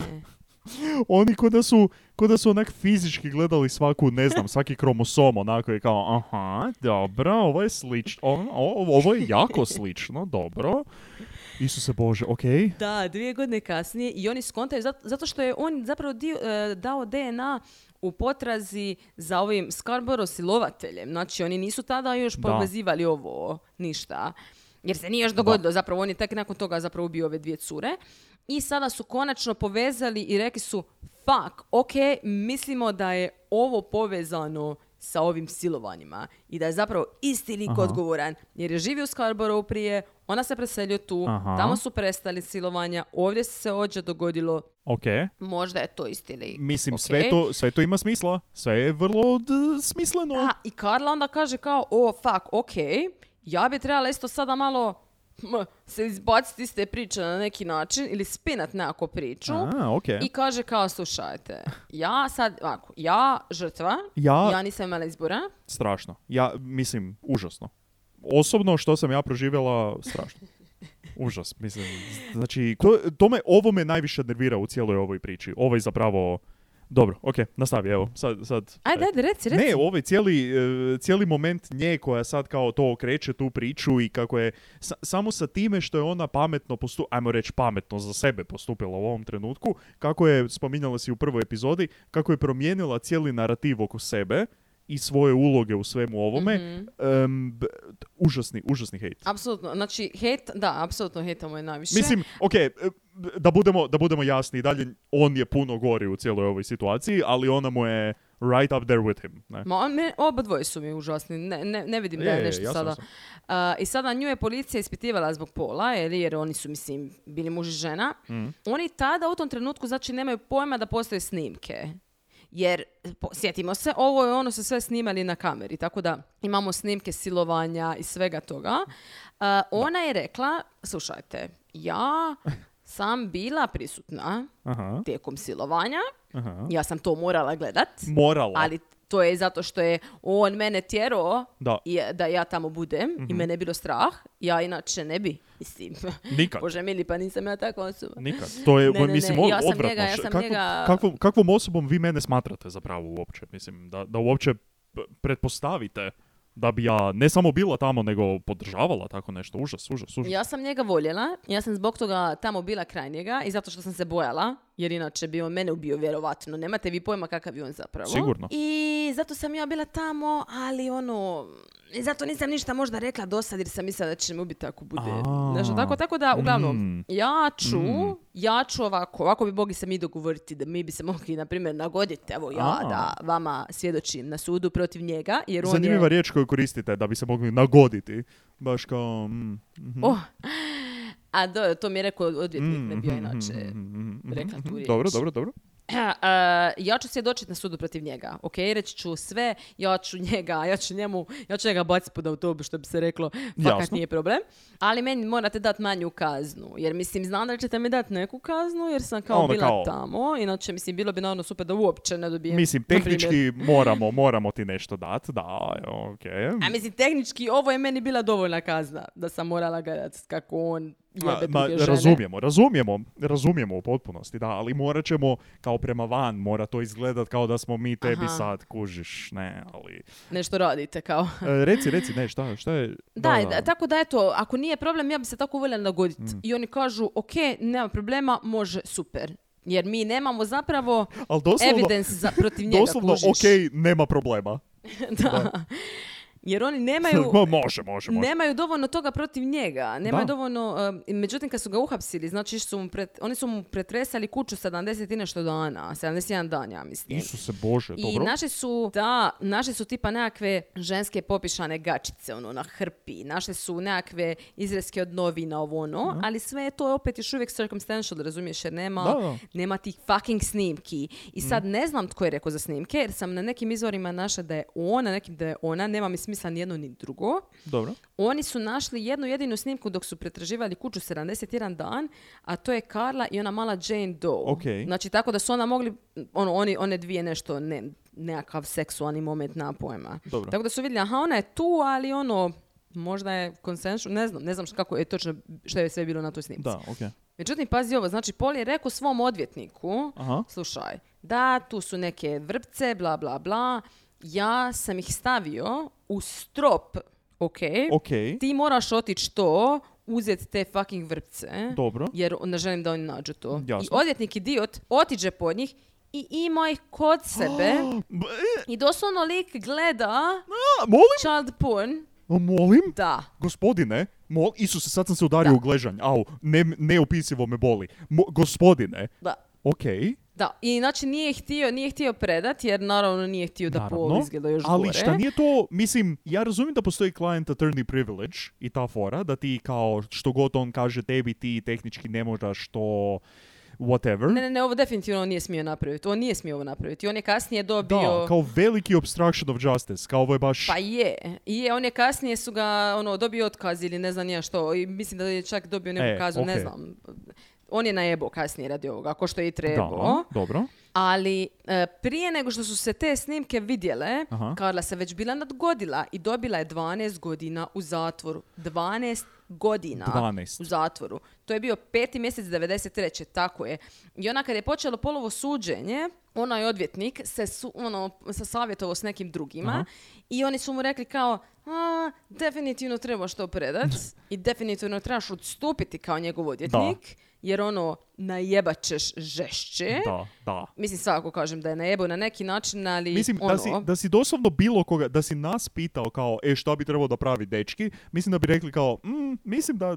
Oni ko da su, ko da su onak fizički gledali svaku, ne znam, svaki kromosom, onako je kao, aha, dobro, ovo je slično, ovo, ovo je jako slično, dobro. Isuse Bože, okej. Okay. Da, dvije godine kasnije i oni skontaju zato, zato što je on zapravo dio, uh, dao D N A u potrazi za ovim Scarborough silovateljem. Znači, oni nisu tada još povezivali ovo, ništa. Jer se nije još dogodilo. Da. Zapravo, on je tek nakon toga zapravo ubio ove dvije cure. I sada su konačno povezali i rekli su, fuck, ok, mislimo da je ovo povezano sa ovim silovanjima i da je zapravo isti lik Aha. odgovoran, jer je živio u Scarborough prije, ona se preselio tu, Aha. tamo su prestali silovanja, ovdje se ođe dogodilo, okay. možda je to isti lik. Mislim, okay. sve, to, sve to ima smisla, sve je vrlo d- smisleno. Da, i Karla onda kaže kao, o, fuck, ok, ja bi trebala isto sada malo m, se izbaciti iz te priče na neki način ili spinat nekako priču. A, okay. I kaže kao, slušajte, ja sad, ovako, ja žrtva, ja, ja nisam imala izbora. Strašno. Ja, mislim, užasno. Osobno što sam ja proživjela, strašno. Užas, mislim. Znači, to, to me, ovo me najviše nervira u cijeloj ovoj priči. Ovo je zapravo... Dobro, ok, nastavi, evo, sad... sad ajde, ajde, reci, reci. Ne, ovaj cijeli, uh, cijeli moment nje koja sad kao to okreće tu priču i kako je, sa, samo sa time što je ona pametno postupila, ajmo reći pametno za sebe postupila u ovom trenutku, kako je, spominjala si u prvoj epizodi, kako je promijenila cijeli narativ oko sebe i svoje uloge u svemu ovome, mm-hmm. um, b, užasni, užasni hejt. Apsolutno, znači hejt, da, apsolutno hejtamo je najviše. Mislim, ok, da budemo, da budemo jasni, dalje on je puno gori u cijeloj ovoj situaciji, ali ona mu je right up there with him. Ne? Ma, me, oba dvoje su mi užasni, ne, ne, ne vidim je, da je nešto je, sada. Uh, I sada nju je policija ispitivala zbog pola, jer, jer oni su, mislim, bili muž i žena. Mm. Oni tada u tom trenutku, znači, nemaju pojma da postoje snimke. Jer, po, sjetimo se, ovo je ono se sve snimali na kameri, tako da imamo snimke silovanja i svega toga. Uh, ona je rekla, slušajte, ja sam bila prisutna Aha. tijekom silovanja, Aha. ja sam to morala gledat. Morala. Ali to je zato što je on mene tjerao da, i, da ja tamo budem mm-hmm. i mene je bilo strah. Ja inače ne bi, mislim. Nikad. Bože mili, pa nisam ja takva osoba. Nikad. To je, ne, ne, mislim, ne. Ja sam odvratno. njega, ja sam Kakvo, njega... kakvom, kakvom osobom vi mene smatrate zapravo uopće? Mislim, da, da uopće pretpostavite da bi ja ne samo bila tamo, nego podržavala tako nešto. Užas, užas, užas. Ja sam njega voljela. Ja sam zbog toga tamo bila kraj njega i zato što sam se bojala, jer inače bi on mene ubio vjerovatno. Nemate vi pojma kakav je on zapravo. Sigurno. I zato sam ja bila tamo, ali ono... I zato nisam ništa možda rekla do sad jer sam mislila da će me ubiti ako bude. Znači, tako, tako da, uglavnom, mm. ja ću, mm. ja ću ovako, ovako bi mogli se mi dogovoriti da mi bi se mogli, na primjer, nagoditi, evo ja, A. da vama svjedočim na sudu protiv njega. Jer on Zanimljiva je... riječ koju koristite da bi se mogli nagoditi. Baš kao... Mm, mm-hmm. oh. A do, to mi je rekao odvjetnik, mm, ne bio inače mm, rekla tu riječ. Dobro, dobro, dobro. Uh, ja ću svjedočiti na sudu protiv njega. Ok, reći ću sve, ja ću njega, ja ću njemu, ja ću njega baciti pod autobus, što bi se reklo, fakat nije problem. Ali meni morate dati manju kaznu. Jer mislim, znam da ćete mi dati neku kaznu, jer sam kao bila kao... tamo. Inače, mislim, bilo bi naravno super da uopće ne dobijem. Mislim, tehnički moramo, moramo ti nešto dati, da, ok. A mislim, tehnički, ovo je meni bila dovoljna kazna, da sam morala gledati kako on jebe ma, druge žene. Razumijemo, razumijemo, razumijemo u potpunosti, da, ali morat ćemo kao prema van, mora to izgledat kao da smo mi tebi Aha. sad, kužiš, ne, ali... Nešto radite, kao. e, reci, reci, ne, šta, šta je... Da, da, da, tako da eto, ako nije problem, ja bi se tako voljela nagoditi. Mm. I oni kažu, ok, nema problema, može, super. Jer mi nemamo zapravo evidence za, protiv njega, doslovno, kužiš. ok, nema problema. da. da. Jer oni nemaju, može, može, može. nemaju dovoljno toga protiv njega. Nemaju da. dovoljno... Uh, međutim, kad su ga uhapsili, znači su mu pret, oni su mu pretresali kuću sedamdeset i nešto dana. sedamdeset jedan dan, ja mislim. Isuse Bože, I dobro. I naše su, da, naše su tipa nekakve ženske popišane gačice, ono, na hrpi. Naše su nekakve izreske od novina, ovo, ono. Da. Ali sve je to opet još uvijek circumstantial, razumiješ, jer nema, da, da. nema tih fucking snimki. I sad mm. ne znam tko je rekao za snimke, jer sam na nekim izvorima našla da je on, na nekim da je ona, nema mi smisla ni jedno ni drugo. Dobro. Oni su našli jednu jedinu snimku dok su pretraživali kuću sedamdeset jedan dan, a to je Karla i ona mala Jane Doe. Okay. Znači tako da su ona mogli, ono, oni, one dvije nešto, ne, nekakav seksualni moment, na pojma. Dobro. Tako da su vidjeli, aha, ona je tu, ali ono, možda je konsensu, ne znam, ne znam kako je točno, što je sve bilo na toj snimci. Da, okay. Međutim, pazi ovo, znači Paul je rekao svom odvjetniku, aha. slušaj, da, tu su neke vrpce, bla, bla, bla, ja sam ih stavio u strop, ok? Okay. Ti moraš otići to, uzeti te fucking vrpce. Dobro. Jer ne želim da oni nađu to. Jasno. I odvjetnik idiot otiđe pod njih i ima ih kod sebe. I doslovno lik gleda A, molim? child porn. A, molim? Da. Gospodine, mol... Isuse, sad sam se udario da. u gležanj. Au, ne, neopisivo me boli. Mo... Gospodine. Da. Ok. Da, i znači nije htio, nije htio predat, jer naravno nije htio da naravno, Paul izgleda još ali gore. šta nije to, mislim, ja razumijem da postoji client attorney privilege i ta fora, da ti kao što god on kaže tebi, ti tehnički ne možeš to whatever. Ne, ne, ne, ovo definitivno on nije smio napraviti. On nije smio ovo napraviti. On je kasnije dobio... Da, kao veliki obstruction of justice, kao ovo je baš... Pa je, je, on je kasnije su ga, ono, dobio otkaz ili ne znam nije što, i mislim da je čak dobio neku e, kazu, okay. ne znam. On je najebao kasnije radi ovoga, ako što je i trebao. Da, dobro. Ali e, prije nego što su se te snimke vidjele, aha. Karla se već bila nadgodila i dobila je dvanaest godina u zatvoru. dvanaest godina dvanaest. U zatvoru. To je bio peti mjesec devedeset treće tako je. I ona kad je počelo polovo suđenje, onaj odvjetnik se, su, ono, se savjetovao s nekim drugima. Aha. I oni su mu rekli kao, a, definitivno trebaš to predat i definitivno trebaš odstupiti kao njegov odvjetnik. Da. Jer ono, najebat ćeš žešće. Da, da. Mislim, svako kažem da je najebao na neki način, ali mislim, ono... da si, da si doslovno bilo koga, da si nas pitao kao, e, šta bi trebalo da pravi dečki, mislim da bi rekli kao, mm, mislim da,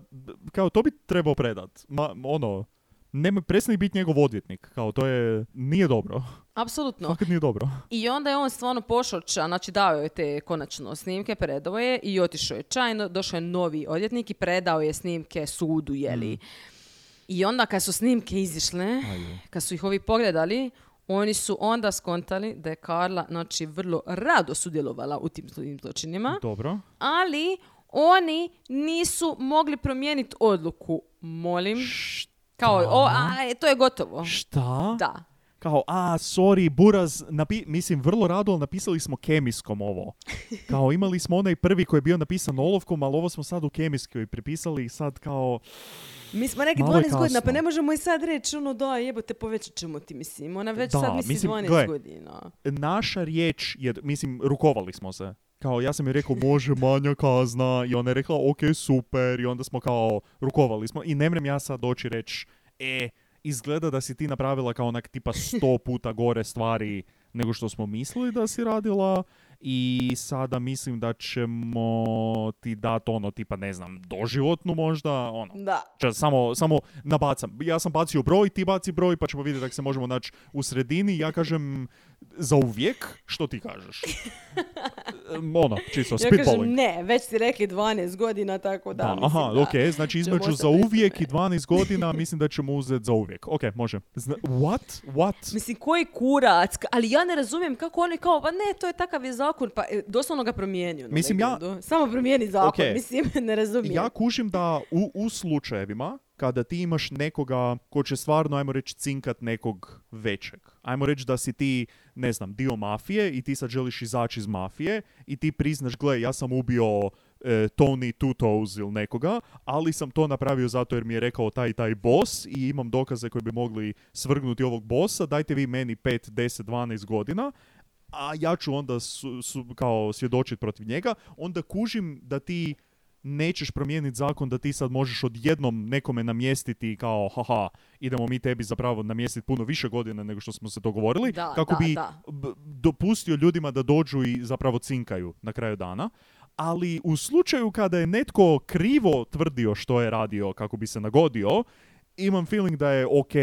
kao, to bi trebao predat. Ma, ono, nema, prestani biti njegov odvjetnik. Kao, to je, nije dobro. Apsolutno. Fakat nije dobro. I onda je on stvarno pošao ča, znači dao je te konačno snimke, predao je i otišao je čajno, došao je novi odvjetnik i predao je snimke sudu, jeli. Mm. I onda kad su snimke izišle, Ajde. kad su ih ovi pogledali, oni su onda skontali da je Karla, znači, vrlo rado sudjelovala u tim zločinima. Dobro. Ali oni nisu mogli promijeniti odluku. Molim. Šta? Kao, o, a, to je gotovo. Šta? Da. Kao, a, sorry, Buraz, napi- mislim, vrlo rado, ali napisali smo kemijskom ovo. Kao, imali smo onaj prvi koji je bio napisan olovkom, ali ovo smo sad u kemijskoj pripisali i sad kao... Mi smo neki dvanaest godina, pa ne možemo i sad reći, ono, da, jebote, povećat ćemo ti, mislim. Ona već da, sad misli mislim, dvanaest gle, godina. Naša riječ je, mislim, rukovali smo se. Kao, ja sam joj rekao, može manja kazna, i ona je rekla, ok, super, i onda smo kao, rukovali smo. I ne mrem ja sad doći reći, e, izgleda da si ti napravila kao onak tipa sto puta gore stvari nego što smo mislili da si radila i sada mislim da ćemo ti dati ono tipa, ne znam, doživotnu možda, ono. Da. Če, samo, samo nabacam. Ja sam bacio broj, ti baci broj, pa ćemo vidjeti da se možemo naći u sredini. Ja kažem za uvijek, što ti kažeš? ono, čisto, Ja spitballing. kažem ne, već si rekli dvanaest godina, tako da, Da, mislim aha, da ok, znači između ćemo za ostati uvijek pri i dvanaest godina mislim da ćemo uzeti za uvijek. Ok, može. Zna, what? What? Mislim, koji kurac, ka- ali ja ne razumijem kako oni kao, pa ne, to je takav je zakon, pa e, doslovno ga promijenio. na Mislim, ja- legendu. Samo promijeni zakon, Ok. mislim, ne razumijem. Ja kužim da u, u slučajevima kada ti imaš nekoga ko će stvarno, ajmo reći, cinkat nekog većeg. Ajmo reći da si ti, ne znam, dio mafije i ti sad želiš izaći iz mafije i ti priznaš, gle, ja sam ubio e, Tony Two Toes ili nekoga, ali sam to napravio zato jer mi je rekao taj i taj boss i imam dokaze koji bi mogli svrgnuti ovog bossa, dajte vi meni pet, deset, dvanaest godina, a ja ću onda su, su, kao svjedočiti protiv njega, onda kužim da ti nećeš promijeniti zakon da ti sad možeš odjednom nekome namjestiti kao haha, idemo mi tebi zapravo namjestiti puno više godina nego što smo se dogovorili, Da, kako da, bi da. b- dopustio ljudima da dođu i zapravo cinkaju na kraju dana. Ali u slučaju kada je netko krivo tvrdio što je radio kako bi se nagodio, imam feeling da je ok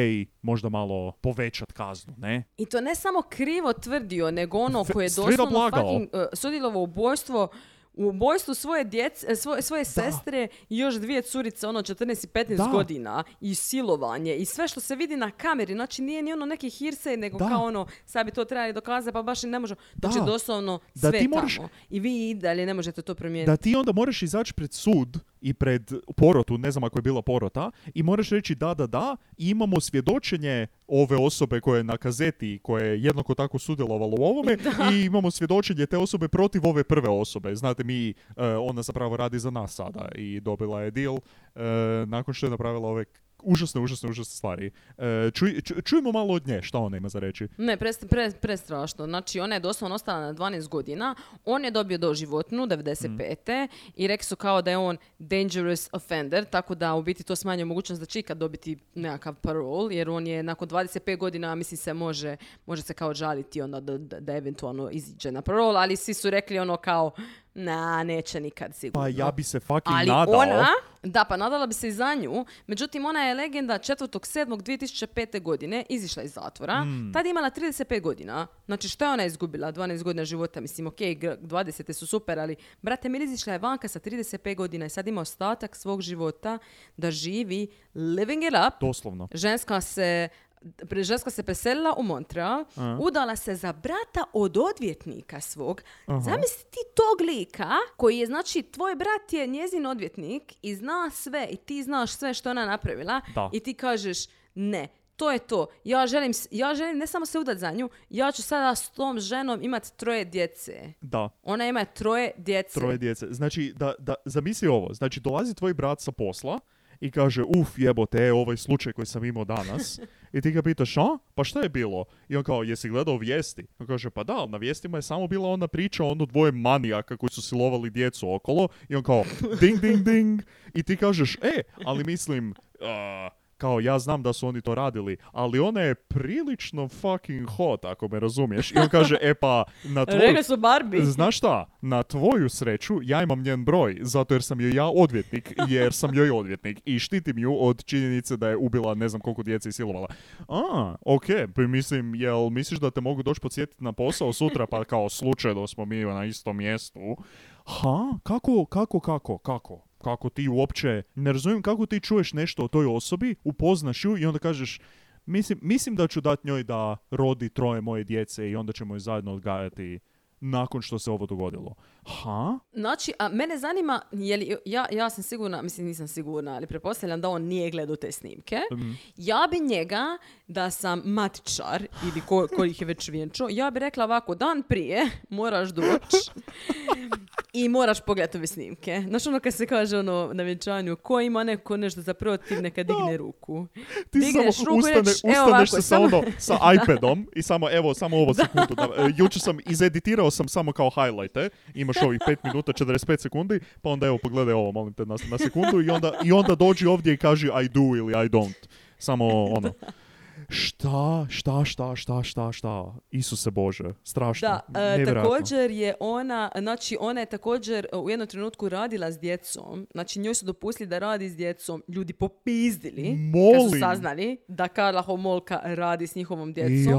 možda malo povećat kaznu, ne? I to ne samo krivo tvrdio, nego ono F- koje je straight up doslovno lagao. fucking uh, sudjelovao u ubojstvo u ubojstvu svoje djece, svoje, svoje sestre i još dvije curice, ono četrnaest i petnaest Da. godina i silovanje i sve što se vidi na kameri, znači nije ni ono neki hearsay, nego Da. kao ono, sad bi to trebali dokazati, pa baš i ne može. Znači Da. doslovno Da sve ti moraš- tamo. I vi i dalje ne možete to promijeniti. Da ti onda moraš izaći pred sud i pred porotu, ne znam ako je bila porota, i moraš reći da, da, da, i imamo svjedočenje ove osobe koja je na kazeti, koja je jednako tako sudjelovala u ovome, i imamo svjedočenje te osobe protiv ove prve osobe. Znate, mi, e, ona zapravo radi za nas sada i dobila je deal e, nakon što je napravila ove užasne, užasne, užasne stvari. E, čuj, ču- čujemo malo od nje, šta ona ima za reći. Ne, pre, pre, prestrašno. Znači, ona je doslovno ostala na dvanaest godina. On je dobio doživotnu, devedeset pete i rekli su kao da je on dangerous offender, tako da u biti to smanjuje mogućnost da će ikad dobiti nekakav parol, jer on je nakon dvadeset pet godina, mislim se može, može se kao žaliti onda da, da, da eventualno iziđe na parol, ali svi su rekli ono kao, na, neće nikad sigurno. Pa ja bi se fucking Ali nadao. ona, da, pa nadala bi se i za nju, međutim ona je legenda četvrtog sedmog dvije tisuće pete godine izišla iz zatvora, Mm. tad je imala trideset pet godina, znači što je ona izgubila, dvanaest godina života, mislim, ok, dvadeset su super, ali brate, mi izišla je vanka sa trideset pet godina i sad ima ostatak svog života da živi living it up, Doslovno. ženska se Pre- ženska se preselila u Montreal, Aha. udala se za brata od odvjetnika svog. Aha. Zamisli ti tog lika koji je, znači, tvoj brat je njezin odvjetnik i zna sve i ti znaš sve što je ona napravila Da. i ti kažeš ne, to je to. Ja želim, s- ja želim ne samo se udat za nju, ja ću sada s tom ženom imati troje djece. Da. Ona ima troje djece. Troje djece. Znači, da, da, zamisli ovo. Znači, dolazi tvoj brat sa posla i kaže, uf, jebote, e, ovaj slučaj koji sam imao danas. I ti ga pitaš, a? Pa šta je bilo? I on kao, jesi gledao vijesti? On kaže, pa da, ali na vijestima je samo bila ona priča o ono dvoje manijaka koji su silovali djecu okolo. I on kao, ding, ding, ding. I ti kažeš, e, ali mislim, uh, kao ja znam da su oni to radili, ali ona je prilično fucking hot, ako me razumiješ. I on kaže, e pa, na tvoju... Rekli su Barbie. Znaš šta, na tvoju sreću ja imam njen broj, zato jer sam joj ja odvjetnik, jer sam joj odvjetnik i štitim ju od činjenice da je ubila ne znam koliko djece i silovala. A, okej, pa mislim, jel misliš da te mogu doći podsjetiti na posao sutra, pa kao slučajno smo mi na istom mjestu? Ha, kako, kako, kako, kako? Kako ti uopće, ne razumijem kako ti čuješ nešto o toj osobi, upoznaš ju i onda kažeš, mislim, mislim da ću dati njoj da rodi troje moje djece i onda ćemo je zajedno odgajati nakon što se ovo dogodilo. Ha? Znači, a mene zanima, je li, ja, ja sam sigurna, mislim nisam sigurna, ali pretpostavljam da on nije gledao te snimke. Mm. Ja bi njega, da sam matičar ili ko, ko ih je već vjenčao, ja bi rekla ovako, dan prije moraš doći i moraš pogledati ove snimke. Znaš ono kad se kaže ono na vjenčanju, ko ima neko nešto za protiv, neka digne ruku. Ti Digneš samo ruku i ustane, reć, evo ustaneš ovako, se sa, samo- ono, sa iPadom i samo, evo, samo ovo sekundu. Da, e, jučer sam izeditirao sam samo kao highlighte. Imaš ovih pet minuta, četrdeset pet sekundi, pa onda evo, pogledaj ovo, molim te, na, na sekundu i onda, i onda dođi ovdje i kaži I do ili I don't. Samo ono. Šta, šta, šta, šta, šta, šta? Isuse Bože, strašno. Da, e, nevjerojatno. također je ona, znači ona je također e, u jednom trenutku radila s djecom, znači njoj su dopustili da radi s djecom, ljudi popizdili kad su Molim. saznali da Karla Homolka radi s njihovom djecom. Jo,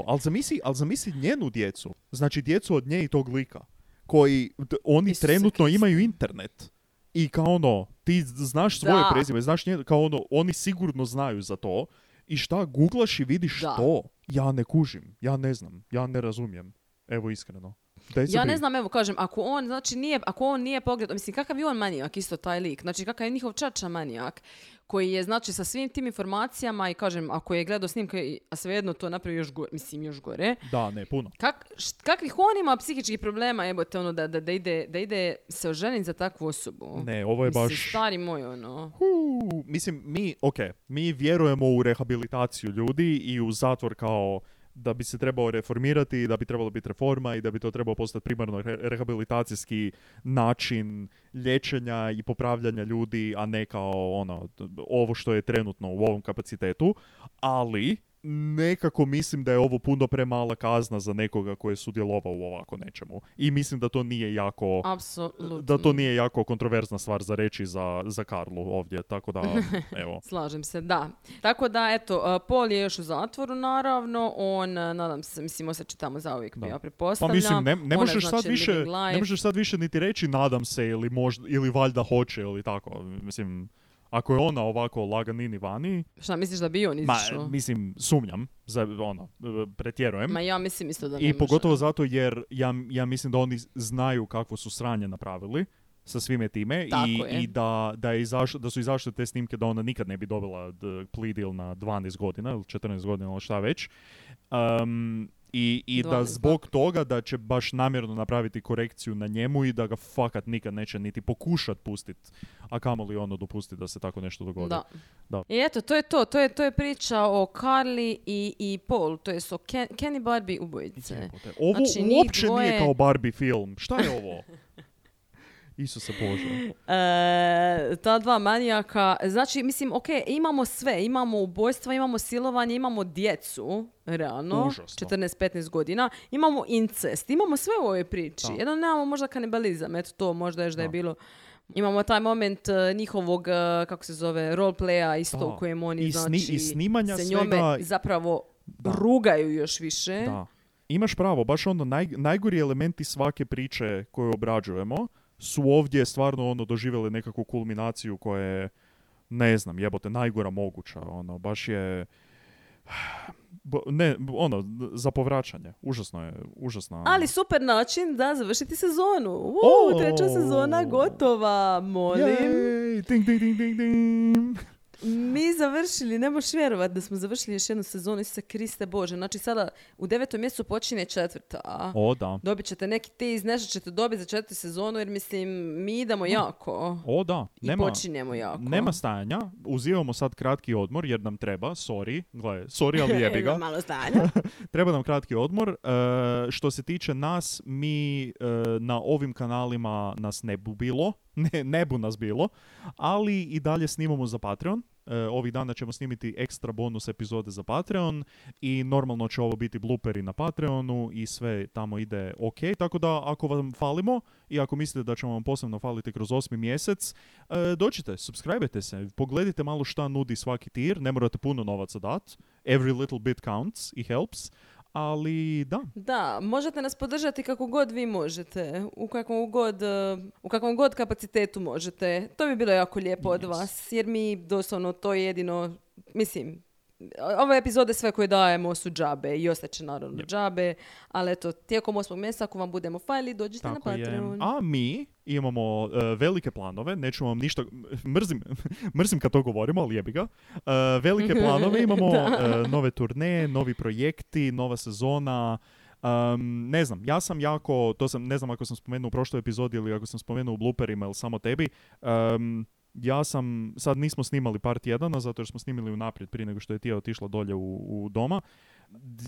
ali zamisli, ali zamisli njenu djecu. Znači djecu od nje i tog lika. koji, d- oni Isuse trenutno Kriste. imaju internet. I kao ono, ti znaš svoje Da. prezime, znaš nje, kao ono, oni sigurno znaju za to. I šta, googlaš i vidiš Da. to? Ja ne kužim, ja ne znam, ja ne razumijem. Evo iskreno. Daj se Ja ne bri. znam, evo kažem, ako on, znači nije, ako on nije pogledao, mislim, kakav je on manijak isto taj lik, znači kakav je njihov čača manijak, koji je, znači, sa svim tim informacijama i kažem, ako je gledao snimke, a svejedno to napravi još gore, mislim, još gore, Da, ne, puno. Kak, št- kakvih on ima psihičkih problema, jebote, ono, da, da, da, ide, da ide se oženiti za takvu osobu? Ne, ovo je Mislim, baš... stari moj, ono. Uu, mislim, mi, ok, mi vjerujemo u rehabilitaciju ljudi i u zatvor kao da bi se trebao reformirati i da bi trebalo biti reforma i da bi to trebao postati primarno re- rehabilitacijski način liječenja i popravljanja ljudi, a ne kao ono, ovo što je trenutno u ovom kapacitetu, ali nekako mislim da je ovo puno premala kazna za nekoga koji je sudjelovao u ovako nečemu. I mislim da to nije jako... Apsolutno. Da to nije jako kontroverzna stvar za reći za, za Karlu ovdje, tako da, evo. Slažem se, da. Tako da, eto, uh, Paul je još u zatvoru, naravno. On, uh, nadam se, mislim, osjeća tamo zauvijek, Da. ja Pa pretpostavljam. mislim, ne, ne, Ona, možeš znači, sad više, living life. ne možeš sad više niti reći nadam se ili, možda, ili valjda hoće ili tako. Mislim, ako je ona ovako laganini vani, Šta misliš da bi on ma, izišao? mislim, sumnjam, za, ono, pretjerujem. Ma ja mislim isto da ne I može. pogotovo zato jer ja, ja mislim da oni znaju kakvo su sranje napravili sa svime time Tako i, je. i da, da, je izašlo, da su izašle te snimke da ona nikad ne bi dobila d- plea deal na dvanaest godina ili četrnaest godina ili šta već. Um, I, i da dvanaest, zbog toga da će baš namjerno napraviti korekciju na njemu i da ga fakat nikad neće niti pokušat pustit, a kamoli ono dopustiti da se tako nešto dogodi. Da. Da. I eto, to je to. To je, to je priča o Carly i, i Paul. To je o Ken, Kenny Barbie ubojice. Jebote. Ovo Znači, njih uopće dvoje- nije kao Barbie film. Šta je ovo? Isuse Bože. E, ta dva manijaka, znači, mislim, ok, imamo sve, imamo ubojstva, imamo silovanje, imamo djecu, realno, Užasno. četrnaest petnaest godina, imamo incest, imamo sve u ovoj priči. Da. Jedno nemamo možda kanibalizam, eto to možda još da je Da. bilo. Imamo taj moment uh, njihovog, uh, kako se zove, roleplaya isto Da. u kojem oni, I, sni- znači, i snimanja se svega... njome zapravo Da. rugaju još više. Da. Imaš pravo, baš ono naj, najgori elementi svake priče koju obrađujemo su ovdje stvarno ono doživjeli nekakvu kulminaciju koja je, ne znam, jebote, najgora moguća. Ono, baš je... Bo- ne, ono, za povraćanje. Užasno je, užasno. Ali super način da završiti sezonu. Uuu, O! treća sezona gotova, molim. Jej, ding, ding, ding, ding, ding. Mi završili, ne možeš vjerovati da smo završili još jednu sezonu, Isuse Kriste Bože. Znači sada u devetom mjesecu počinje četvrta. O, da. Dobit ćete neki tease, nešto ćete dobiti za četvrtu sezonu, jer mislim, mi idemo jako. O, da. I Nema, počinjemo jako. nema stajanja. Uzimamo sad kratki odmor jer nam treba. Sorry. Gle, sorry, ali jebi ga. Malo stanja. Treba nam kratki odmor. E, što se tiče nas, mi e, na ovim kanalima nas ne bu bilo. Ne, ne bu nas bilo. Ali i dalje snimamo za Patreon. E, ovih dana ćemo snimiti ekstra bonus epizode za Patreon i normalno će ovo biti blooperi na Patreonu i sve tamo ide ok. Tako da ako vam falimo i ako mislite da ćemo vam posebno faliti kroz osmi mjesec, e, dođite, subscribe-te se, pogledajte malo šta nudi svaki tier, ne morate puno novaca dat. Every little bit counts i helps. Ali da, Da, možete nas podržati kako god vi možete, u kakvom god, uh, u kakvom god kapacitetu možete. To bi bilo jako lijepo od Yes. vas, jer mi doslovno to je jedino, mislim, ove epizode sve koje dajemo su džabe i ostaće naravno Yep. džabe, ali eto, tijekom osmog mjeseca ako vam budemo fajli, dođite tako na je. Patreon. A mi imamo e, velike planove, neću vam ništa, mrzim, mrzim kad to govorimo, ali jebi ga. E, velike planove, imamo e, nove turneje, novi projekti, nova sezona. Um, ne znam, ja sam jako, to sam, ne znam ako sam spomenuo u prošloj epizodi ili ako sam spomenuo u blooperima ili samo tebi, um, ja sam, sad nismo snimali par tjedana zato jer smo snimili unaprijed prije nego što je Tija otišla dolje u, u doma.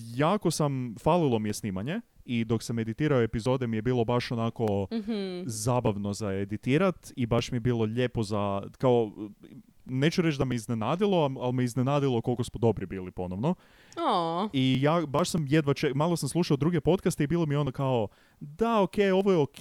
Jako sam, falilo mi je snimanje i dok sam editirao epizode mi je bilo baš onako Mhm. zabavno za editirat i baš mi je bilo lijepo za, kao, neću reći da me iznenadilo, ali me iznenadilo koliko smo dobri bili ponovno. O. I ja baš sam jedva ček, malo sam slušao druge podcaste i bilo mi ono kao, da, ok, ovo je ok,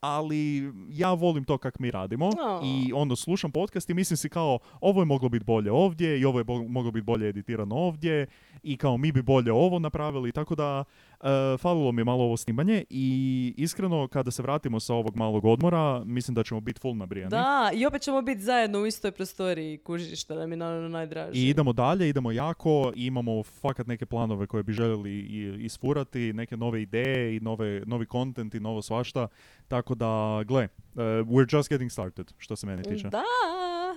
ali ja volim to kak mi radimo. O. I onda slušam podcast i mislim si kao, ovo je moglo biti bolje ovdje i ovo je bo- moglo biti bolje editirano ovdje i kao mi bi bolje ovo napravili, tako da uh, falilo mi je malo ovo snimanje i iskreno kada se vratimo sa ovog malog odmora, mislim da ćemo biti full nabrijani. Da, i opet ćemo biti zajedno u istoj prostoriji, kužiš, što nam je naravno najdraže. I idemo dalje, idemo jako, i imamo fakat neke planove koje bi željeli i- isfurati, neke nove ideje i nove, novi content i novo svašta, tako da, gle, uh, we're just getting started, što se mene tiče. Da,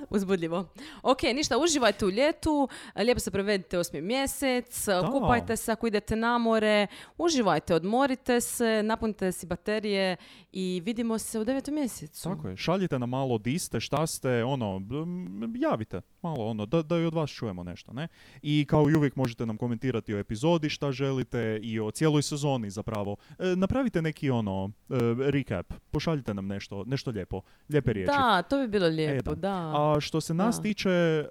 uzbudljivo. Ok, ništa, uživajte u ljetu, lijepo se prevedite osmi mjesec, kupajte se ako idete na more, uživajte, odmorite se, napunite si baterije i vidimo se u devetom mjesecu. Tako je, šaljite nam malo di ste, šta ste, ono, m, javite malo, ono, da, da i od vas čujemo nešto, ne? I kao i uvijek možete nam komentirati o epizodi šta želite i o cijeloj sezoni zapravo. E, napravite neki, ono, e, recap, pošaljite nam nešto, nešto lijepo, lijepe riječi. Da, to bi bilo lijepo, E, da. da. A što se nas Da. tiče, e,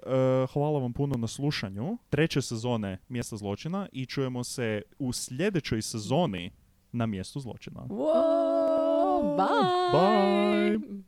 hvala vam puno na slušanju treće sezone Mjesta zločina i čujemo se u sljedećoj sezoni na Mjestu zločina. Wow, bye! Bye!